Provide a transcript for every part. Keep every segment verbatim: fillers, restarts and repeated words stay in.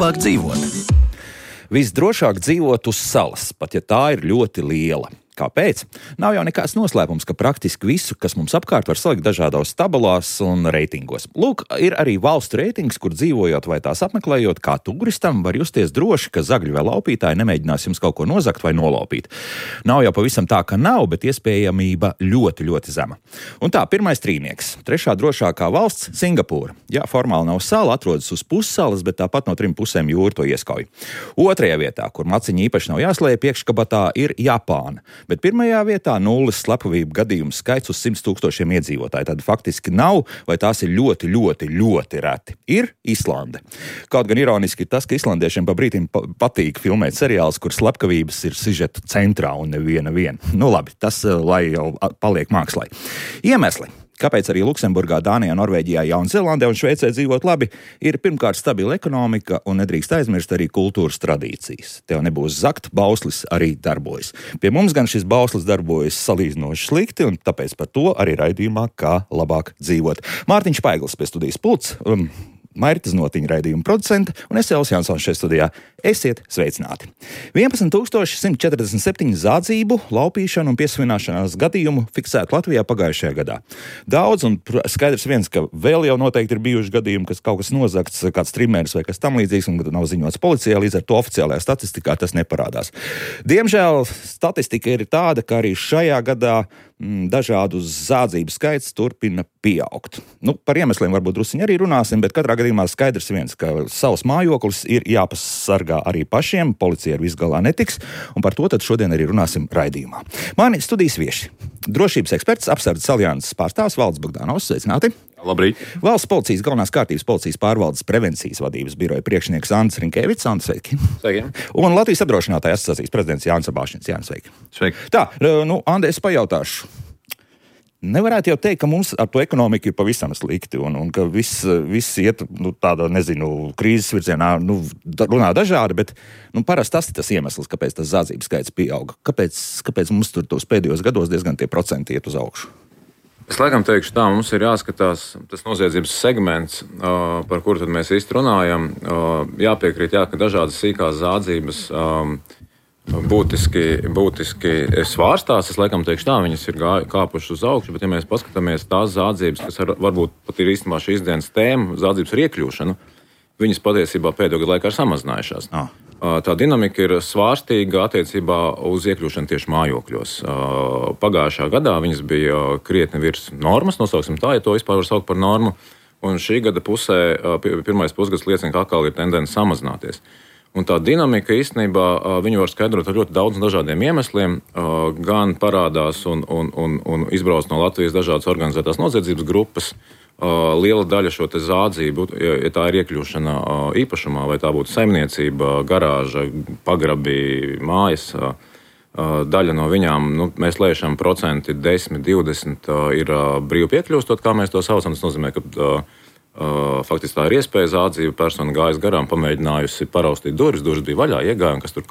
labāk dzīvot? Visdrošāk dzīvot uz salas, pat ja tā ir ļoti liela. Kāpēc? Nav jau nekāds noslēpums, ka praktiski visu, kas mums apkārt, var salikt dažādos tabulās un reitingos. Lūk, ir arī valstu reitings, kur dzīvojot vai tās apmeklējot, kā turistam var justies droši, ka zagļi vai laupītāji nemēģinās jums kaut ko nozagt vai nolaupīt. Nav jau pavisam tā, ka nav, bet iespējamība ļoti, ļoti zema. Un tā, pirmais trīnieks. Trešā drošākā valsts - Singapūra. Jā, formāli nav sala, atrodas uz pussalas, bet tāpat no trim pusēm jūra to ieskauj. Otrajā vietā, kur maciņi īpaši nav jāslēj iekškabatā, ir Japāna. Bet pirmajā vietā nulles slepkavību gadījumu skaits uz simts tūkstošiem iedzīvotāju. Tad faktiski nav, vai tās ir ļoti, ļoti, ļoti reti. Ir Islande. Kaut gan ironiski ir tas, ka islandiešiem pa brītim patīk filmēt seriālus, kur slepkavības ir sižeta centrā un neviena viena. Nu labi, tas lai jau paliek mākslai. Iemesli. Kāpēc arī Luksemburgā, Dānijā, Norvēģijā, Jaunzēlandē un Šveicē dzīvot labi, ir pirmkārt stabila ekonomika un nedrīkst aizmirst arī kultūras tradīcijas. Tev nebūs zakt, bauslis arī darbojas. Pie mums gan šis bauslis darbojas salīdzinoši slikti, un tāpēc par to arī raidījumā Kā labāk dzīvot. Mārtiņš Paiglis pie studijas pults, um, Mairta Znotiņa raidījuma producente un es Elvis Jansons šeit studijā. Esiet sveicināti. vienpadsmit tūkstoši simt četrdesmit septiņi zādzību, laupīšanu un piesavināšanās gadījumu fiksētu Latvijā pagājušajā gadā. Daudz un skaidrs viens, ka vēl jau noteikti ir bijuši gadījumi, kas kaut kas nozagts, kāds trimērs vai kas tam līdzīgs un nav ziņots policijā, līdz ar to oficiālajā statistikā tas neparādās. Diemžēl statistika ir tāda, ka arī šajā gadā mm, dažādu zādzību skaits turpina pieaugt. Nu, par iemesliem varbūt drusiņi arī runāsim, bet katrā gadījumā skaidrs viens, ka savs mājoklis ir jāpasargā arī pašiem, policija ar visu galā netiks, un par to tad šodien arī runāsim raidījumā. Mani studijas vieši. Drošības eksperts, apsardzes alianses pārstāvs Valdis Bogdanovs, sveicināti. Labrīt. Valsts policijas galvenās kārtības policijas pārvaldes prevencijas vadības biroja priekšnieks Andris Rinkēvics. Andris, sveiki. Sveiki. Un Latvijas apdrošinātāju asociācijas prezidents Jānis Abāšins. Jānis, sveiki. Sveiki. Tā, nu, Andi, es pajautāšu. Nevarētu jau teikt, ka mums ar to ekonomiku ir pavisam slikti un, un ka viss, viss iet nu, tādā, nezinu, krīzes virzienā, nu, runā dažādi, bet nu, parasti tas ir tas iemesls, kāpēc tas zādzības skaits pieauga. Kāpēc, kāpēc mums tur tos pēdējos gados diezgan tie procenti iet uz augšu? Es laikam teikšu tā, mums ir jāskatās tas noziedzības segments, par kuru tad mēs īsti runājam. Jāpiekrīt, jā, ka dažādas sīkās zādzības būtiski, būtiski svārstās. Es laikam teikšu tā, viņas ir gā, kāpušas uz augšu, bet ja mēs paskatāmies tās zādzības, kas ar, varbūt pat ir īstenībā šīs dienas tēma, zādzības ar iekļūšanu, viņas patiesībā pēdējo gadu laikā ir samazinājušās. Ah. Tā dinamika ir svārstīga attiecībā uz iekļūšanu tieši mājokļos. Pagājušā gadā viņas bija krietni virs normas, nosauksim tā, ja to vispār var saukt par normu, un šī gada pusē, pirmais pusgads liecina, ka atkal ir tendence samazināties. Un tā dinamika īstenībā viņu var skaidrot ar ļoti daudziem dažādiem iemesliem. Gan parādās un, un, un, un izbrauc no Latvijas dažādas organizētās noziedzības grupas. Liela daļa šo te zādzību, ja tā ir iekļūšana īpašumā, vai tā būtu saimniecība, garāža, pagrabi, mājas, daļa no viņām, nu, mēs lēšam procenti desmit, divdesmit ir brīvi piekļūstot, kā mēs to saucam. Tas nozīmē, ka Uh, faktiski tā ir iespēja zādzība, persona gājas garām, pamēģinājusi paraustīt durvis, durvis bija vaļā, iegāja, un kas tur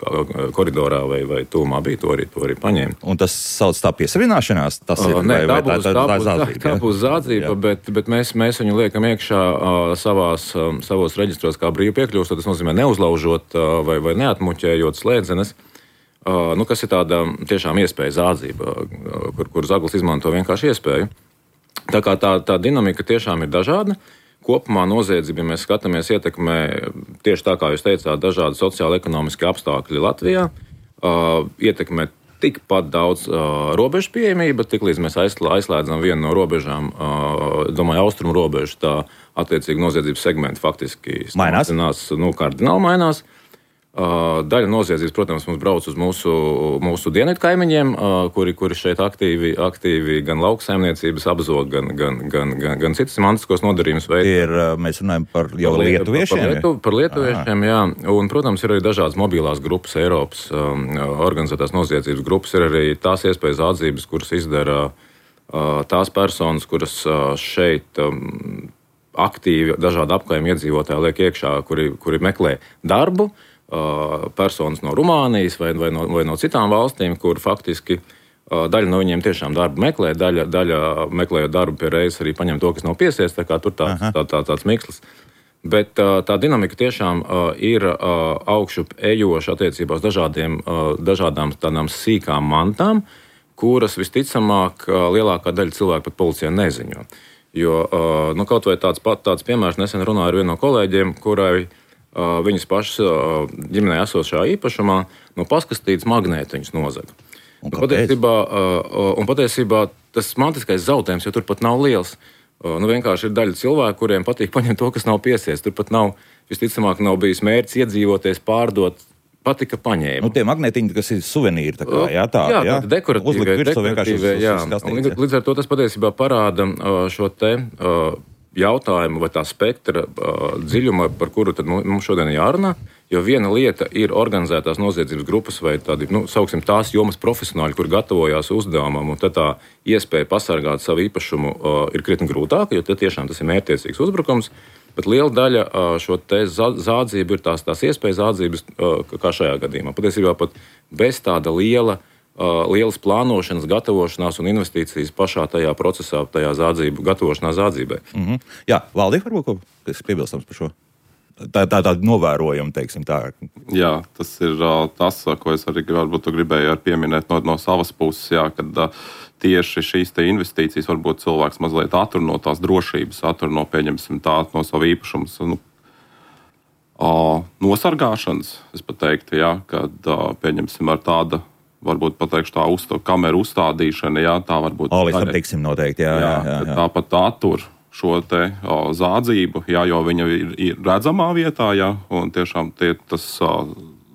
koridorā vai, vai tūmā bija, to arī, to arī paņēma. Un tas sauc tā piesavināšanās? Tas ir, uh, ne, vai, tā, būs, tā, tā, tā, zādzība, tā, tā būs zādzība, bet, bet mēs, mēs viņu liekam iekšā uh, savās, uh, savos reģistros kā brīvi piekļūstot, tas nozīmē neuzlaužot uh, vai, vai neatmuķējot slēdzenes, uh, nu, kas ir tāda tiešām iespēja zādzība, uh, kur, kur zaglis izmanto vienkārši iespēju. Tā kā tā, tā dinamika tiešām ir dažāda. Kopumā noziedzība, ja mēs skatāmies, ietekmē tieši tā, kā jūs teicāt, dažādi sociāli-ekonomiski apstākļi Latvijā, uh, ietekmē tikpat daudz uh, robežu pieejamība, tiklīdz mēs aizslēdzam vienu no robežām, uh, domāju, austrumu robežu, tā attiecīgi noziedzības segmenti faktiski mainās, nu, kardināli mainās. Uh, daļa noziedzības, protams, mums brauc uz mūsu, mūsu dienvidu kaimiņiem, uh, kuri, kuri šeit aktīvi, aktīvi gan lauksaimniecības apzog, gan, gan, gan, gan, gan citas mantiskos nodarījumus veids. Mēs runājam par jau par lietuviešiem? Par, lietu, par lietuviešiem, jā. Un, protams, ir arī dažādas mobilās grupas, Eiropas um, organizētās noziedzības grupas, ir arī tās iespējas atzības, kuras izdara uh, tās personas, kuras uh, šeit um, aktīvi dažādi apkaimi iedzīvotāji liek iekšā, kuri, kuri meklē darbu, personas no Rumānijas vai, vai, no, vai no citām valstīm, kur faktiski daļa no viņiem tiešām darbu meklē, daļa, daļa meklējot darbu pie reizes arī paņem to, kas nav piesies, tā kā tur tāds, tā, tā, tāds mikslis. Bet tā dinamika tiešām ir augšup ejoša attiecībā uz dažādiem, dažādām tādām sīkām mantām, kuras visticamāk lielākā daļa cilvēku pat policijā neziņo. Jo nu, kaut vai tāds, tāds piemērs nesen runāju ar vienu no kolēģiem, kurai viņas pašas ģimenē esošā īpašumā no paskastītas magnētiņus nozaga. Un, un, patiesībā, un patiesībā tas mantiskais zaudējums jau turpat nav liels. Nu, vienkārši ir daļa cilvēku, kuriem patīk paņemt to, kas nav piesies. Turpat nav, visticamāk, nav bijis mērķis iedzīvoties, pārdot, patika paņēma. Nu, tie magnētiņi, kas ir suvenīri, tā kā, jā, tā, jā, jā. Tā dekoratīvie, dekoratīvie, jā. Līdz, līdz ar to tas patiesībā parāda šo te jautājumu vai tā spektra dziļuma, par kuru tad mums šodien jārunā, jo viena lieta ir organizētās noziedzības grupas vai tādi, nu, sauksim tās jomas profesionāļi, kur gatavojās uzdevumam, un tad tā iespēja pasargāt savu īpašumu ir krietni grūtāka, jo tad tiešām tas ir mērķtiecīgs uzbrukums, bet liela daļa šo te zādzību ir tās, tās iespējas zādzības, kā šajā gadījumā. Patiesībā pat bez tāda liela lielas plānošanas, gatavošanās un investīcijas pašā tajā procesā, tajā zādzību, gatavošanās zādzībai. Mm-hmm. Jā, Valdī, varbūt, kas piebilstams par šo? Tā tā tāda novērojuma, teiksim tā. Jā, tas ir uh, tas, ko es arī varbūt gribēju pieminēt no, no savas puses, jā, kad uh, tieši šīs te investīcijas varbūt cilvēks mazliet attur no tās drošības, attur no, pieņemsim tā, no savu īpašumus, nu, uh, nosargāšanas, es pat teiktu, jā, kad, uh, pieņemsim ar tāda, varbūt pateikšu tā uzstā, kameru uzstādīšana, jā, tā varbūt... O, līdz tam tiksim noteikti, jā, jā, jā, jā. Tāpat attur šo te o, zādzību, jā, jo viņa ir, ir redzamā vietā, jā, un tiešām tie, tas o,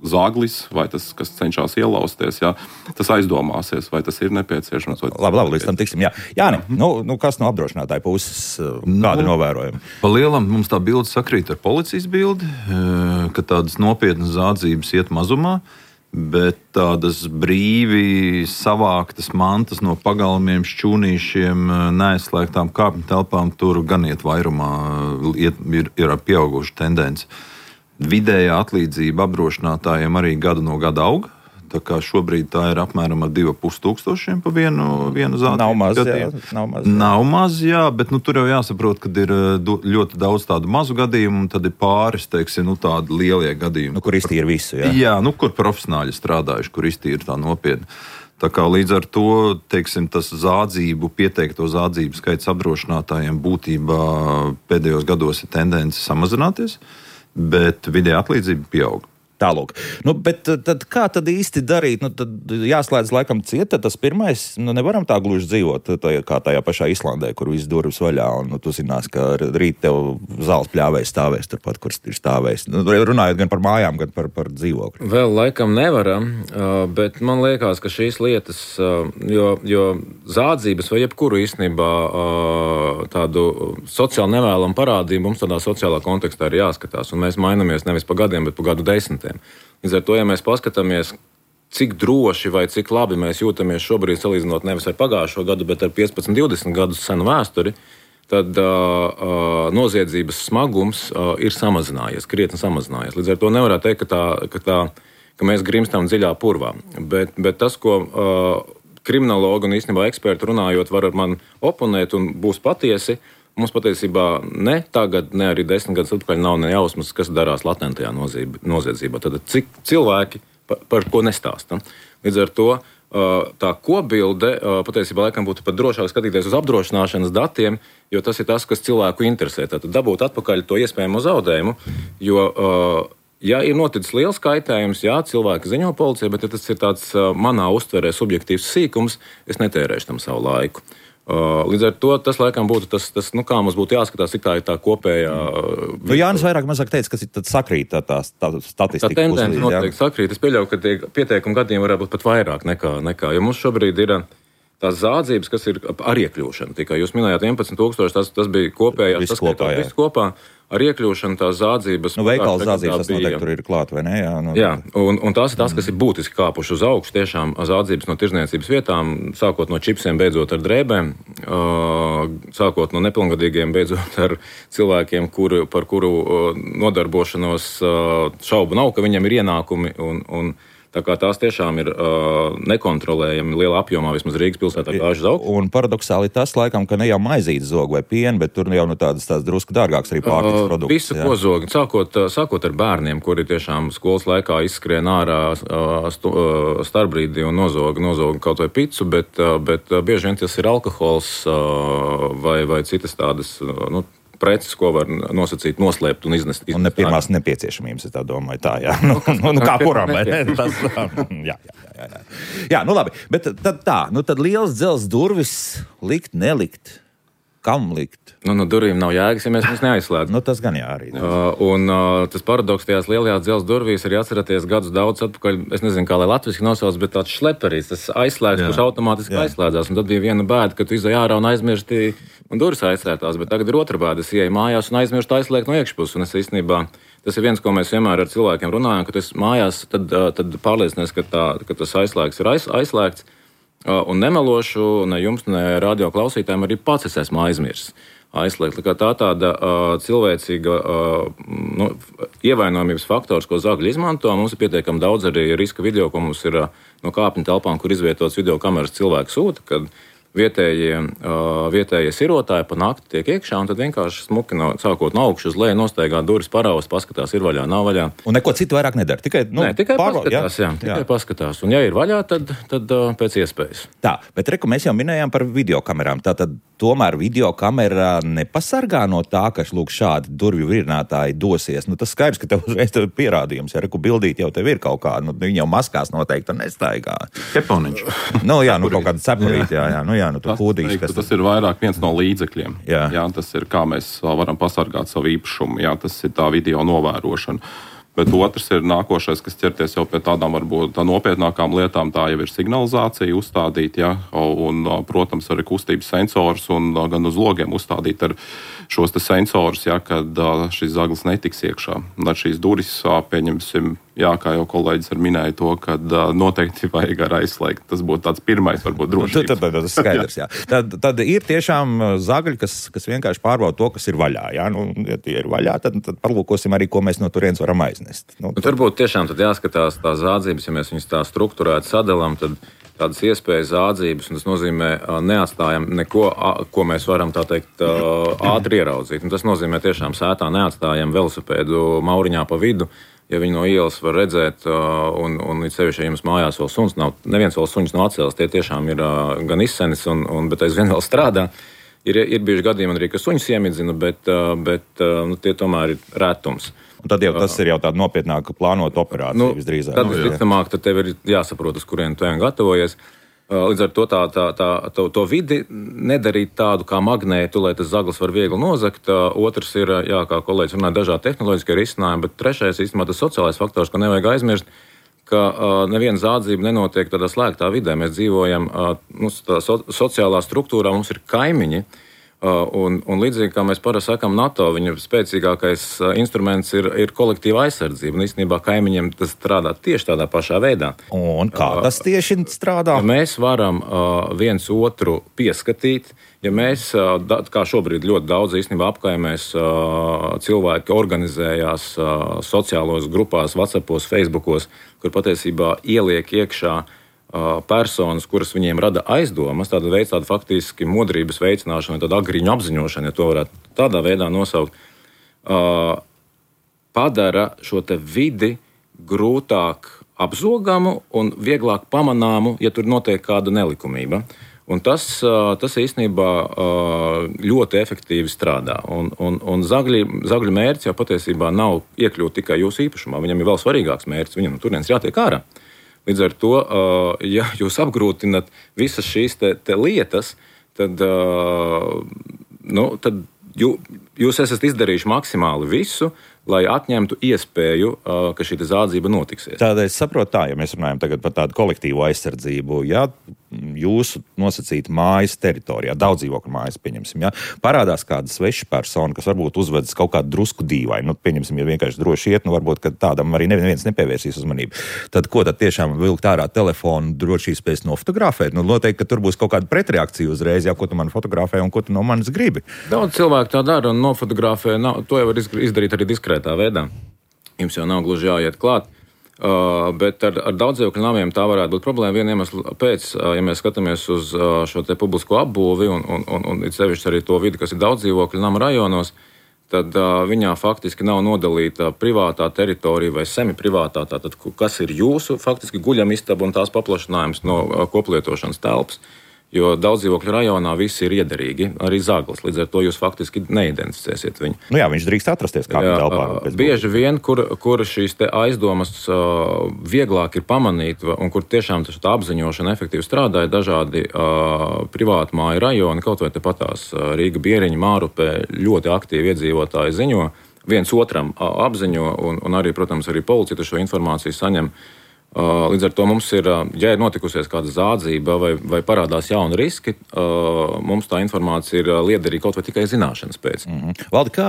zaglis, vai tas, kas cenšas ielausties, jā, tas aizdomāsies, vai tas ir nepieciešams. Vai labi, labi, līdz tam tiksim, jā. Jāni, mm-hmm. nu, nu, kas no apdrošinātāja puses, kādi nu, novērojumi? Pa lielam mums tā bilde sakrīt ar policijas bildi, ka tādas nopietnas zādzības iet mazumā, bet tādas brīvi savāktas mantas no pagalmiem, šķūnīšiem, neaizslēgtām kāpņu telpām tur gan iet vairumā, iet, ir, ir pieauguša tendence. Vidējā atlīdzība apdrošinātājiem arī gadu no gada aug. Tā kā šobrīd tā ir apmēram ar divi ar pus tūkstošiem pa vienu, vienu zādi. Nav maz, jā. Nav maz, jā. Nav maz, jā, bet nu, tur jau jāsaprot, ka ir ļoti daudz tādu mazu gadījumu, un tad ir pāris, teiksim, nu, tādi lielie gadījumi. Nu, kur iztīra visu, jā? Jā, nu, kur profesionāļi strādājuši, kur iztīra tā nopietni. Tā kā līdz ar to, teiksim, tas zādzību, pieteikto zādzību skaits apdrošinātājiem būtībā pēdējos gados ir tendence samazināties, bet vidēja atlīdzība pieaug. Tālūk. Nu, bet tad kā tad īsti darīt? Nu, tad jāslēdz laikam ciet, tad tas pirmais, nu nevaram tā gluži dzīvot tā, kā tajā pašā Islandē, kur viss durvis vaļā, un nu, tu zinās, ka rīt tev zāles pļāvējs stāvēs turpat, kur ir stāvējs. Nu, runājot gan par mājām, gan par, par dzīvokļu. Vēl laikam nevaram, bet man liekas, ka šīs lietas, jo, jo zādzības vai jebkuru īstenībā tādu sociāli nevēlamu parādību mums tādā sociālā kontekstā ir jāskatās, un mēs mainamies nevis pa gadiem, bet pa gadu desmitiem. Līdz ar to, ja mēs paskatāmies, cik droši vai cik labi mēs jūtamies šobrīd, salīdzinot nevis ar pagājušo gadu, bet ar piecpadsmit, divdesmit gadus senu vēsturi, tad uh, uh, noziedzības smagums uh, ir samazinājies, krietni samazinājies. Līdz ar to nevarētu teikt, ka, tā, ka, tā, ka mēs grimstam dziļā purvā. Bet, bet tas, ko uh, kriminologi un īstenībā eksperti runājot var ar mani oponēt un būs patiesi, mums patiesībā ne tagad, ne arī desmit gadus atpakaļ nav ne jausmas, kas darās latentajā noziedzībā. Tad cik cilvēki par, par ko nestāsta. Līdz ar to tā kopbilde patiesībā laikam būtu pat drošāk skatīties uz apdrošināšanas datiem, jo tas ir tas, kas cilvēku interesē. Tad dabūt atpakaļ to iespējamo zaudējumu, jo, ja ir noticis liels kaitējums, jā, cilvēki ziņo policijai, bet ja tas ir tāds manā uztverē subjektīvs sīkums, es netērēšu tam savu laiku. Līdz ar to tas laikam būtu tas, tas nu, kā mums būtu jāskatās, cik tā ir tā kopējā... Nu, Jānis vairāk mazāk teica, ka tad sakrīt tā, tā, tā statistika. Tā tendence noteikti sakrīt. Es pieļauju, ka tie pieteikumu gadījumi varētu būt pat vairāk nekā, nekā. Jo mums šobrīd ir tās zādzības, kas ir ar iekļūšanu. Tikai jūs minējāt vienpadsmit tūkstoši, tas, tas bija kopējās. Viss kopā, jā. Viss kopā. Ar iekļūšanu tās zādzības... Nu, veikala zādzības tas noteikti tur ir klāt, vai ne? Jā, nu, jā un, un tās ir tās, kas ir būtiski kāpuši uz augšu. Tiešām zādzības no tirdzniecības vietām, sākot no čipsiem, beidzot ar drēbēm, sākot no nepilngadīgiem, beidzot ar cilvēkiem, kuru, par kuru nodarbošanos šaubu nav, ka viņam ir ienākumi un, un Tā kā tās tiešām ir uh, nekontrolējami lielā apjomā, vismaz Rīgas pilsētā gājuši zaug. Un paradoxāli tas, laikam, ka ne jau maizītes zog vai piena, bet tur jau nu tādas, tādas drusku dārgākas arī pārtikas uh, produkts. Visu, ko zog, sākot, sākot ar bērniem, kuri tiešām skolas laikā izskrien ārā uh, stu, uh, starpbrīdī un nozoga, nozoga kaut vai picu, bet, uh, bet uh, bieži vien tas ir alkohols uh, vai, vai citas tādas, uh, nu, preces, ko var nosacīt, noslēpt un iznest. Un ne pirmās nepieciešamības, es tā domāju, tā, jā. Nu, nu, nu kā kuram, vai ne? Tas, jā, jā, jā, jā. Jā, nu labi, bet tad tā, nu tad liels dzels durvis likt, nelikt, kam likt? Nu, no durvīm nav jēgas, ja mēs viņus neaizslēdzam. Nu, tas gan jā arī. Uh, un uh, tas paradoks tajās lielajās dzelzs durvīs arī atceraties gadus daudz atpakaļ, es nezinu, kā lai latviski nosauc, bet tāds šleperīts, tas aizslēgts, jā. Kurš automātiski jā. Aizslēdzās. Un tad bija viena bēda, ka tu izai ārā un aizmirsti un durvis aizslēgtās, bet tagad ir otra bēda, es ieeju mājās un aizmirstu aizslēgt no iekšpuses. Un es īstenībā, tas ir viens, ko mēs vienmēr ar cilvēkiem runājam, ka tas mājās, tad, uh, tad pārliecinies, ka, tā, ka tas aizslēgts ir aiz, aizslēgts. Uh, un nemelošu ne jums, ne radio klausītājiem arī pats es esmu aizmirsis. Aizslēgt. Tā tāda uh, cilvēcīga uh, nu, ievainojamības faktors, ko zagļi izmanto. Mums ir pietiekami daudz arī riska video, ko mums ir uh, no kāpņu telpām, kur izvietots video kameras cilvēku sūta, kad vietējie, uh, vietējie sirotāji pa nakti tiek iekšā, un tad vienkārši smuki no, sākot no augšu uz leju nostaigā durvis paraus, paskatās, ir vaļā, nav vaļā. Un neko citu vairāk nedara, tikai, nu, Nē, tikai pārva, paskatās, jā, jā, tikai jā. paskatās. Un ja ir vaļā, tad, tad uh, pēc iespējas. Tā, bet reku mēs jau minējām par videokamerām. Tātad tomēr videokamera nepasargā no tā, ka lūk šādi durvju virinātāji dosies. Nu, tas skaidrs, ka tev uzreiz tev ir pierādījums. Ja reku bildīt jau tev ir kaut kā, nu, viņi jau maskās noteikti nestaigā. Keponiņš. Nu jā, nu kaut kāda cepurīt, jā, jā, nu jā, nu tu kūdīši. Tas, tas ir vairāk viens no līdzekļiem. Jā. Jā, tas ir kā mēs varam pasargāt savu īpašumu, jā, tas ir tā video novērošana. Bet otrs ir nākošais, kas ķerties jau pie tādām varbūt tā nopietnākām lietām, tā jau ir signalizācija uzstādīt, ja, un, protams, arī kustības sensors un gan uz logiem uzstādīt ar šos te sensorus, ja, kad šis zaglis netiks iekšā. Un ar šīs durvis, pieņemsim, jā, kā jau kolēģis ar minēja to, kad noteikti vajag ar aizslēgt. Tas būtu tāds pirmais, varbūt, drošības. Tad, tad, tad tas skaidrs, jā. Tad, tad ir tiešām zagļi, kas, kas vienkārši pārbauda to, kas ir vaļā, jā. Nu, ja tie ir vaļā, tad, tad parlūkosim arī, ko mēs no turienes varam aiznest. Nu, nu, tur būtu tiešām tad jāskatās tās zādzības, ja mēs viņus tā strukturēti sadalām, tad tādas iespējas zādzības, un tas nozīmē neatstājam neko, ko mēs varam tā teikt ātri ieraudzīt. Un tas nozīmē tiešām sētā neatstājam velosipēdu mauriņā pa vidu, ja viņi no ielas var redzēt, un, un sevišķi, ja jums mājās vēl suns nav, neviens vēl suņus nav atcēlis, tie tiešām ir gan izsenis, un, un, bet aizvien vēl strādā. Ir, ir bijuši gadījumi arī, ka suņus iemidzina, bet, bet nu, tie tomēr ir retums. Un tad jau tas ir jau tāda nopietnāka plānota operācija, nu, visdrīzāk. Tad visticamāk, tad tev ir jāsaprot, uz kurien tu gatavojies. Līdz ar to tā, tā, tā, to, to vidi nedarīt tādu kā magnētu, lai tas zaglis var viegli nozagt. Otrs ir, jā, kā kolēģis runāja, dažādi tehnoloģiskie risinājumi, bet trešais īstenībā tas sociālais faktors, ko nevajag aizmirst, ka uh, neviena zādzība nenotiek tādā slēgtā vidē. Mēs dzīvojam, uh, mums tā so, sociālā struktūrā, mums ir kaimiņi. Uh, un, un līdzīgi kā mēs parasti sakām, NATO, viņa spēcīgākais uh, instruments ir, ir kolektīva aizsardzība. Un īstenībā kaimiņiem tas strādā tieši tādā pašā veidā. Un kā tas tieši strādā? Ja mēs varam uh, viens otru pieskatīt, ja mēs, uh, da, kā šobrīd ļoti daudz īstenībā apkaimēs, uh, cilvēki organizējās uh, sociālos grupās, WhatsAppos, Facebookos, kur patiesībā ieliek iekšā personas, kuras viņiem rada aizdomas, tāda veids tāda faktiski modrības veicināšana, tāda agriņu apziņošana, ja to varētu tādā veidā nosaukt, uh, padara šo te vidi grūtāk apzogamu un vieglāk pamanāmu, ja tur notiek kāda nelikumība. Un tas, uh, tas īstenībā uh, ļoti efektīvi strādā. Un, un, un zagļi, zagļu mērķis jau patiesībā nav iekļūt tikai jūsu īpašumā, viņam ir vēl svarīgāks mērķis, viņam no turienes jātiek ārā. Līdz ar to, ja jūs apgrūtinat visas šīs te, te lietas, tad, nu, tad jū, jūs esat izdarījuši maksimāli visu, lai atņemtu iespēju, ka šī zādzība notiksies. Tādēļ es saprotu tā, ja mēs runājam tagad par tādu kolektīvu aizsardzību, ja jūsu nosacīta mājas teritorijā, daudz dzīvokļu mājas, pieņemsim, ja parādās kāda sveša persona, kas varbūt uzvedas kaut kādu drusku dīvainu, nu, pieņemsim, ja vienkārši droši iet, nu, varbūt, ka tādam arī neviens nepievērsīs uzmanību. Tad ko tad tiešām vilkt ārā telefonu, droši spēs nofotografēt? Nu, noteikti, ka tur būs kaut kāda pretreakcija uzreiz, ja ko tu man fotografē un ko tu no manis gribi. Daudz cilvēku tā dara un nofotografē, nav, to jau var izdarīt arī diskrētā veidā. Jums jau nav gluži jāiet klāt. Uh, bet ar, ar daudzdzīvokļu namiem tā varētu būt problēma. Viena iemesla pēc, uh, ja mēs skatāmies uz uh, šo te publisko apbūvi un, un, un, un it sevišķi arī to vidi, kas ir daudzdzīvokļu nama rajonos, tad uh, viņā faktiski nav nodalīta privātā teritorija vai semi-privātā, tātad, kas ir jūsu faktiski guļamistaba un tās paplašinājums no uh, koplietošanas telpas. Jo daudzdzīvokļu rajonā visi ir iederīgi, arī zaglis. Līdz ar to jūs faktiski neidentificēsiet viņu. Nu jā, viņš drīkst atrasties kādā telpā. Bieži vien, kur, kur šīs te aizdomas uh, vieglāk ir pamanīt, un kur tiešām tā apziņošana efektīvi strādāja, dažādi uh, privātmāju rajoni, kaut vai tepatās uh, Rīga, Bieriņa, Mārupē, ļoti aktīvi iedzīvotāji ziņo, viens otram uh, apziņo, un, un arī, protams, arī policija šo informāciju saņem. Līdz ar to mums ir, ja ir notikusies kāda zādzība vai, vai parādās jauni riski, mums tā informācija ir liederīga kaut vai tikai zināšanas pēc. Mm-hmm. Valdi, kā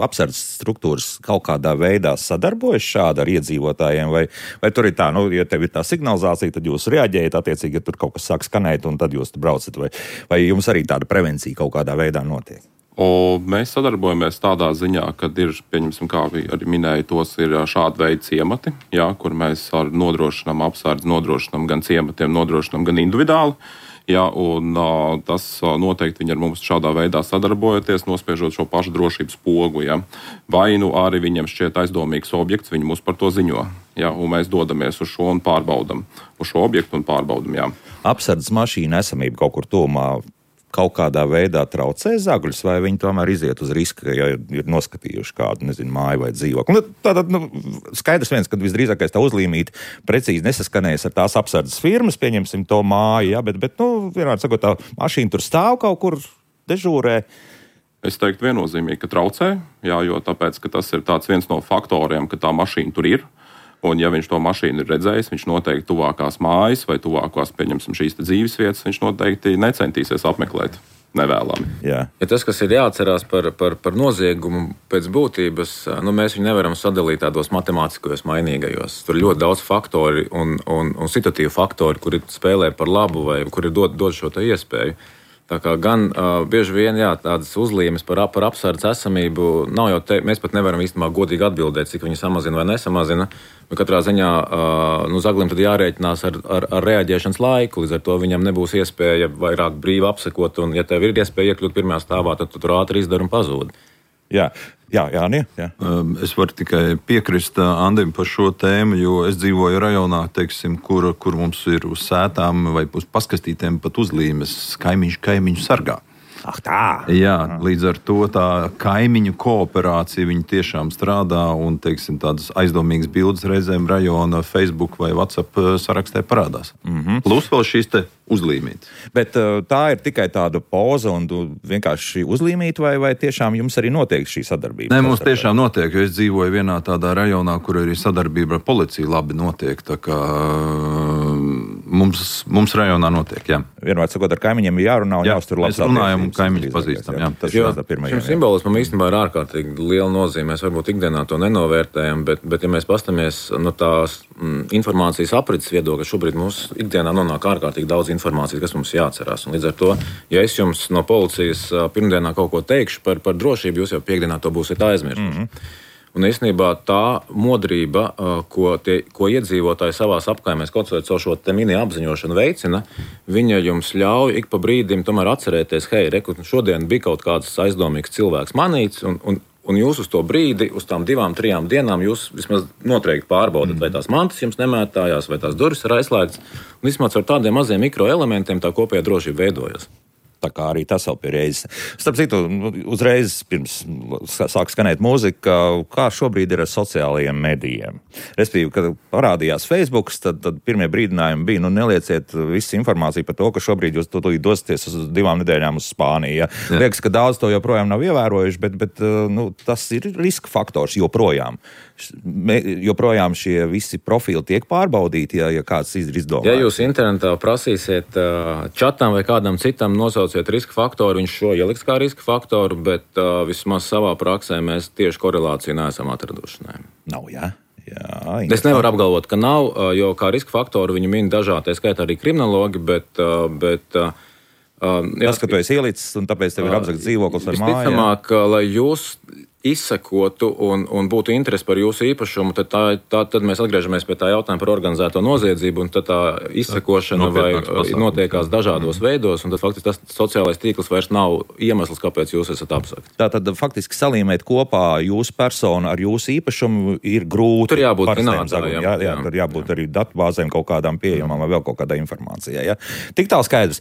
apsardzes struktūras kaut kādā veidā sadarbojas šādi ar iedzīvotājiem? Vai, vai tur ir tā, nu, ja tev ir tā signalizācija, tad jūs reaģējat, attiecīgi, ja tur kaut kas sāk skanēt, un tad jūs braucat? Vai, vai jums arī tāda prevencija kaut kādā veidā notiek? O, mēs sadarbojamies tādā ziņā, ka ir, pieņemsim, kā arī minēja, tos ir šādi veidi ciemati, jā, kur mēs ar nodrošinām apsardzi, nodrošinām gan ciematiem, nodrošinām gan individuāli. Jā, un uh, tas uh, noteikti viņi ar mums šādā veidā sadarbojoties, nospiežot šo pašu drošības pogu. Jā. Vai nu arī viņiem šķiet aizdomīgs objekts, viņi mums par to ziņo. Jā, un mēs dodamies uz šo un pārbaudam, uz šo objektu un pārbaudam. Jā. Apsardzes mašīna esamība kaut kur tuvumā kaut kādā veidā traucē zagļus, vai viņi tomēr iziet uz riska, ja ir noskatījuši kādu, nezinu, māju vai dzīvokli. Nu, tātad, nu, skaidrs viens, ka visdrīzākais tā uzlīmīte precīzi nesaskanējas ar tās apsardzes firmas, pieņemsim to māju, ja, bet, bet, nu, vienādi sakot, tā mašīna tur stāv kaut kur dežūrē. Es teiktu viennozīmīgi, ka traucē, jā, jo tāpēc, ka tas ir tāds viens no faktoriem, ka tā mašīna tur ir. Un, ja viņš to mašīnu ir redzējis, viņš noteikti tuvākās mājas vai tuvākās, pieņemsim, šīs dzīves vietas, viņš noteikti necentīsies apmeklēt nevēlami. Jā. Ja tas, kas ir jāatcerās par, par, par noziegumu pēc būtības, nu, mēs viņu nevaram sadalīt tādos matemātiskajos mainīgajos. Tur ir ļoti daudz faktori un, un, un situatīvu faktori, kuri spēlē par labu vai kuri dod, dod šo te iespēju. Tā kā gan uh, bieži vien jā, tādas uzlīmes par, par apsardzes esamību nav jau te, mēs pat nevaram īstenībā godīgi atbildēt, cik viņi samazina vai nesamazina. Bet katrā ziņā uh, nu, zaglim tad jārēķinās ar, ar, ar reaģēšanas laiku, līdz ar to viņam nebūs iespēja vairāk brīvi apsekot, un ja tev ir iespēja iekļūt pirmajā stāvā, tad tu tur ātri izdari un pazūdi. Jā, jā, jā, jā, jā. Es varu tikai piekrist Andim par šo tēmu, jo es dzīvoju rajonā, teiksim, kur, kur mums ir uz sētām vai uz paskastītēm pat uzlīmes kaimiņš kaimiņu sargā. Ah, tā. Jā, līdz ar to tā kaimiņu kooperācija viņi tiešām strādā un, teiksim, tādas aizdomīgas bildes reizēm rajona Facebook vai WhatsApp sarakstē parādās. Mm-hmm. Plus vēl šīs te uzlīmītes. Bet tā ir tikai tāda poza un vienkārši uzlīmīta, vai, vai tiešām jums arī notiek šī sadarbība? Nē, mums tiešām notiek, jo es dzīvoju vienā tādā rajonā, kur arī sadarbība ar policiju labi notiek, tā kā mums, mums rajonā notiek, jā. Vienmēr sakot, ar kaimiņiem ir jārunā un jāuztur labs attiecības. Mēs runājam un kaimiņus pazīstam, jā. Tas jo, ir pirmajā. Šim simbolismam īstenībā ir ārkārtīgi liela nozīme. Mēs varbūt ikdienā to nenovērtējam, bet, bet ja mēs pastamies no tās mm, informācijas aprits viedokļa, šobrīd mums ikdienā nonāk ārkārtīgi daudz informācijas, kas mums jāatcerās. Un līdz ar to, ja es jums no policijas pirmdienā kaut ko teikšu par, par drošību, jūs jau piekdienā to būsiet aizmirsuši. Mm-hmm. Un īstenībā tā modrība, ko, tie, ko iedzīvotāji savās apkaimēs kaut vai caur šo te mini apziņošanu veicina, viņa jums ļauj ik pa brīdim tomēr atcerēties, hei, reku, šodien bija kaut kāds aizdomīgs cilvēks manīts, un, un, un jūs uz to brīdi, uz tām divām, trijām dienām jūs vismaz noteikti pārbaudat, vai tās mantas jums nemētājās, vai tās durvis ir aizslēgtas. Un vismaz ar tādiem maziem mikroelementiem tā kopējā drošība veidojas. Tā kā arī tas vēl pie reizes. Starp citu, uzreiz pirms sāk skanēt mūzika, kā šobrīd ir ar sociālajiem medijiem. Respektīvi, kad parādījās Facebook, tad, tad pirmie brīdinājumi bija, nu nelieciet visu informāciju par to, ka šobrīd jūs dosieties uz divām nedēļām uz Spāniju. Ja? Liekas, ka daudz to joprojām nav ievērojuši, bet, bet nu, tas ir riska faktors joprojām. Joprojām šie visi profili tiek pārbaudīti, ja, ja kāds izdomā. Ja jūs internetā prasīsiet čatam vai kādam citam nosauciet riska faktoru, viņš šo ieliks kā riska faktoru, bet uh, vismaz savā praksē mēs tieši korelāciju neesam atraduši. Ne. Nav, jā. Jā, es nevaru apgalvot, ka nav, jo kā riska faktoru viņi min dažādi, tā skaitā arī kriminologi, bet... bet uh, tas, ka tu esi ielicis un tāpēc tev ir apzakts dzīvoklis ar māju. Visticamāk, lai jūs izsekotu un, un būtu interesi par jūsu īpašumu, tad, tā, tā, tad mēs atgriežamies pie tā jautājuma par organizēto noziedzību, un tad tā izsekošana vai notiekās dažādos mm. veidos, un tad faktiski tas sociālais tīkls vairs nav iemesls, kāpēc jūs esat apsakti. Tā tad faktiski salīmēt kopā jūsu personu ar jūsu īpašumu ir grūti. Tur jābūt finansējumam. Jā, jā, tur jābūt arī datubāzēm kaut kādām pieejamām vai vēl kaut kādai informācijai. Ja? Tik tālu skaidrs.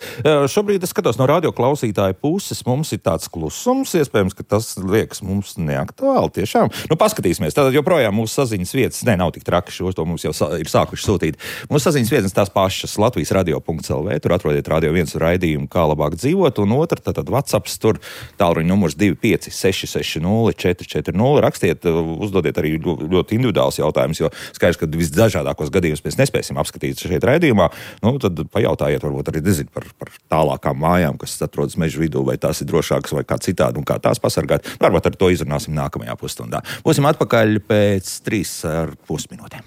Šobrīd es skatos no radio klausītāja puses, mums ir tāds klusums, iespējams, ka tas liekas mums neaktuāli tiešām. Nu, paskatīsimies. Tātad joprojām mūsu saziņas vietas, ne, nav tik traki, šo to mums jau ir sākuši sūtīt. Mūsu saziņas vietas tās pašas Latvijas radio punkt el vē, tur atrodiet Radio viens raidījumu, kā labāk dzīvot, un otra, tātad WhatsApps, tur tālruņa numurs divi pieci seši seši nulle četri četri nulle. Rakstiet, uzdodiet arī ļoti individuāls jautājums, jo skaidrs, ka visdažādākos gadījumus mēs nespēsim apskatīt šeit raidījumā. Nu, tad pajautājiet, varbūt arī nezinu par, par tālākām mājām, kas atrodas meža vidū, vai tās ir drošākas vai kā citādi, un kā tās pasargāt. Varbūt ar to izrunāsim nākamajā pusstundā. Būsim atpakaļ pēc trīs ar pus minūtēm.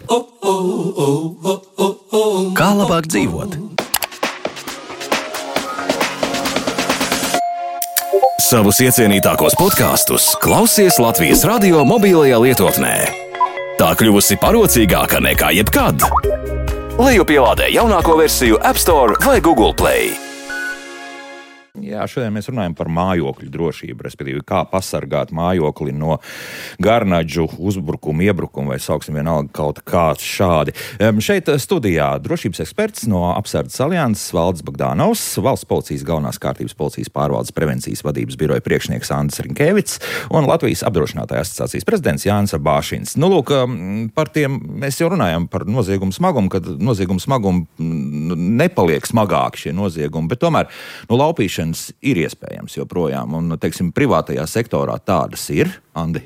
Kā labāk dzīvot? Savus iecienītākos podkastus klausies Latvijas radio mobilajā lietotnē. Tā kļuvusi parocīgāka nekā jebkad. Lejupielādē jaunāko versiju App Store vai Google Play. Jā, šodien mēs runājam par mājokļu drošību, respektīvi, kā pasargāt mājokli no garnaģu uzbrukumu, iebrukumu vai sauksim vienalga kaut kāds šādi. Um, šeit studijā drošības eksperts no Apsardzes alianses Valdis Bagdānovs, Valsts policijas galvenās kārtības policijas pārvaldes prevencijas vadības biroja priekšnieks Andris Rinkēvits un Latvijas apdrošinātāju asociācijas prezidents Jānis Bāšins. Nu, lūk, par tiem mēs jau runājam par noziegumu smagumu, kad noziegumu smagumu nepaliek smagāki šie noziegumi, bet tomēr no laupīšanas ir iespējams joprojām, un, teiksim, privātajā sektorā tādas ir, Andi?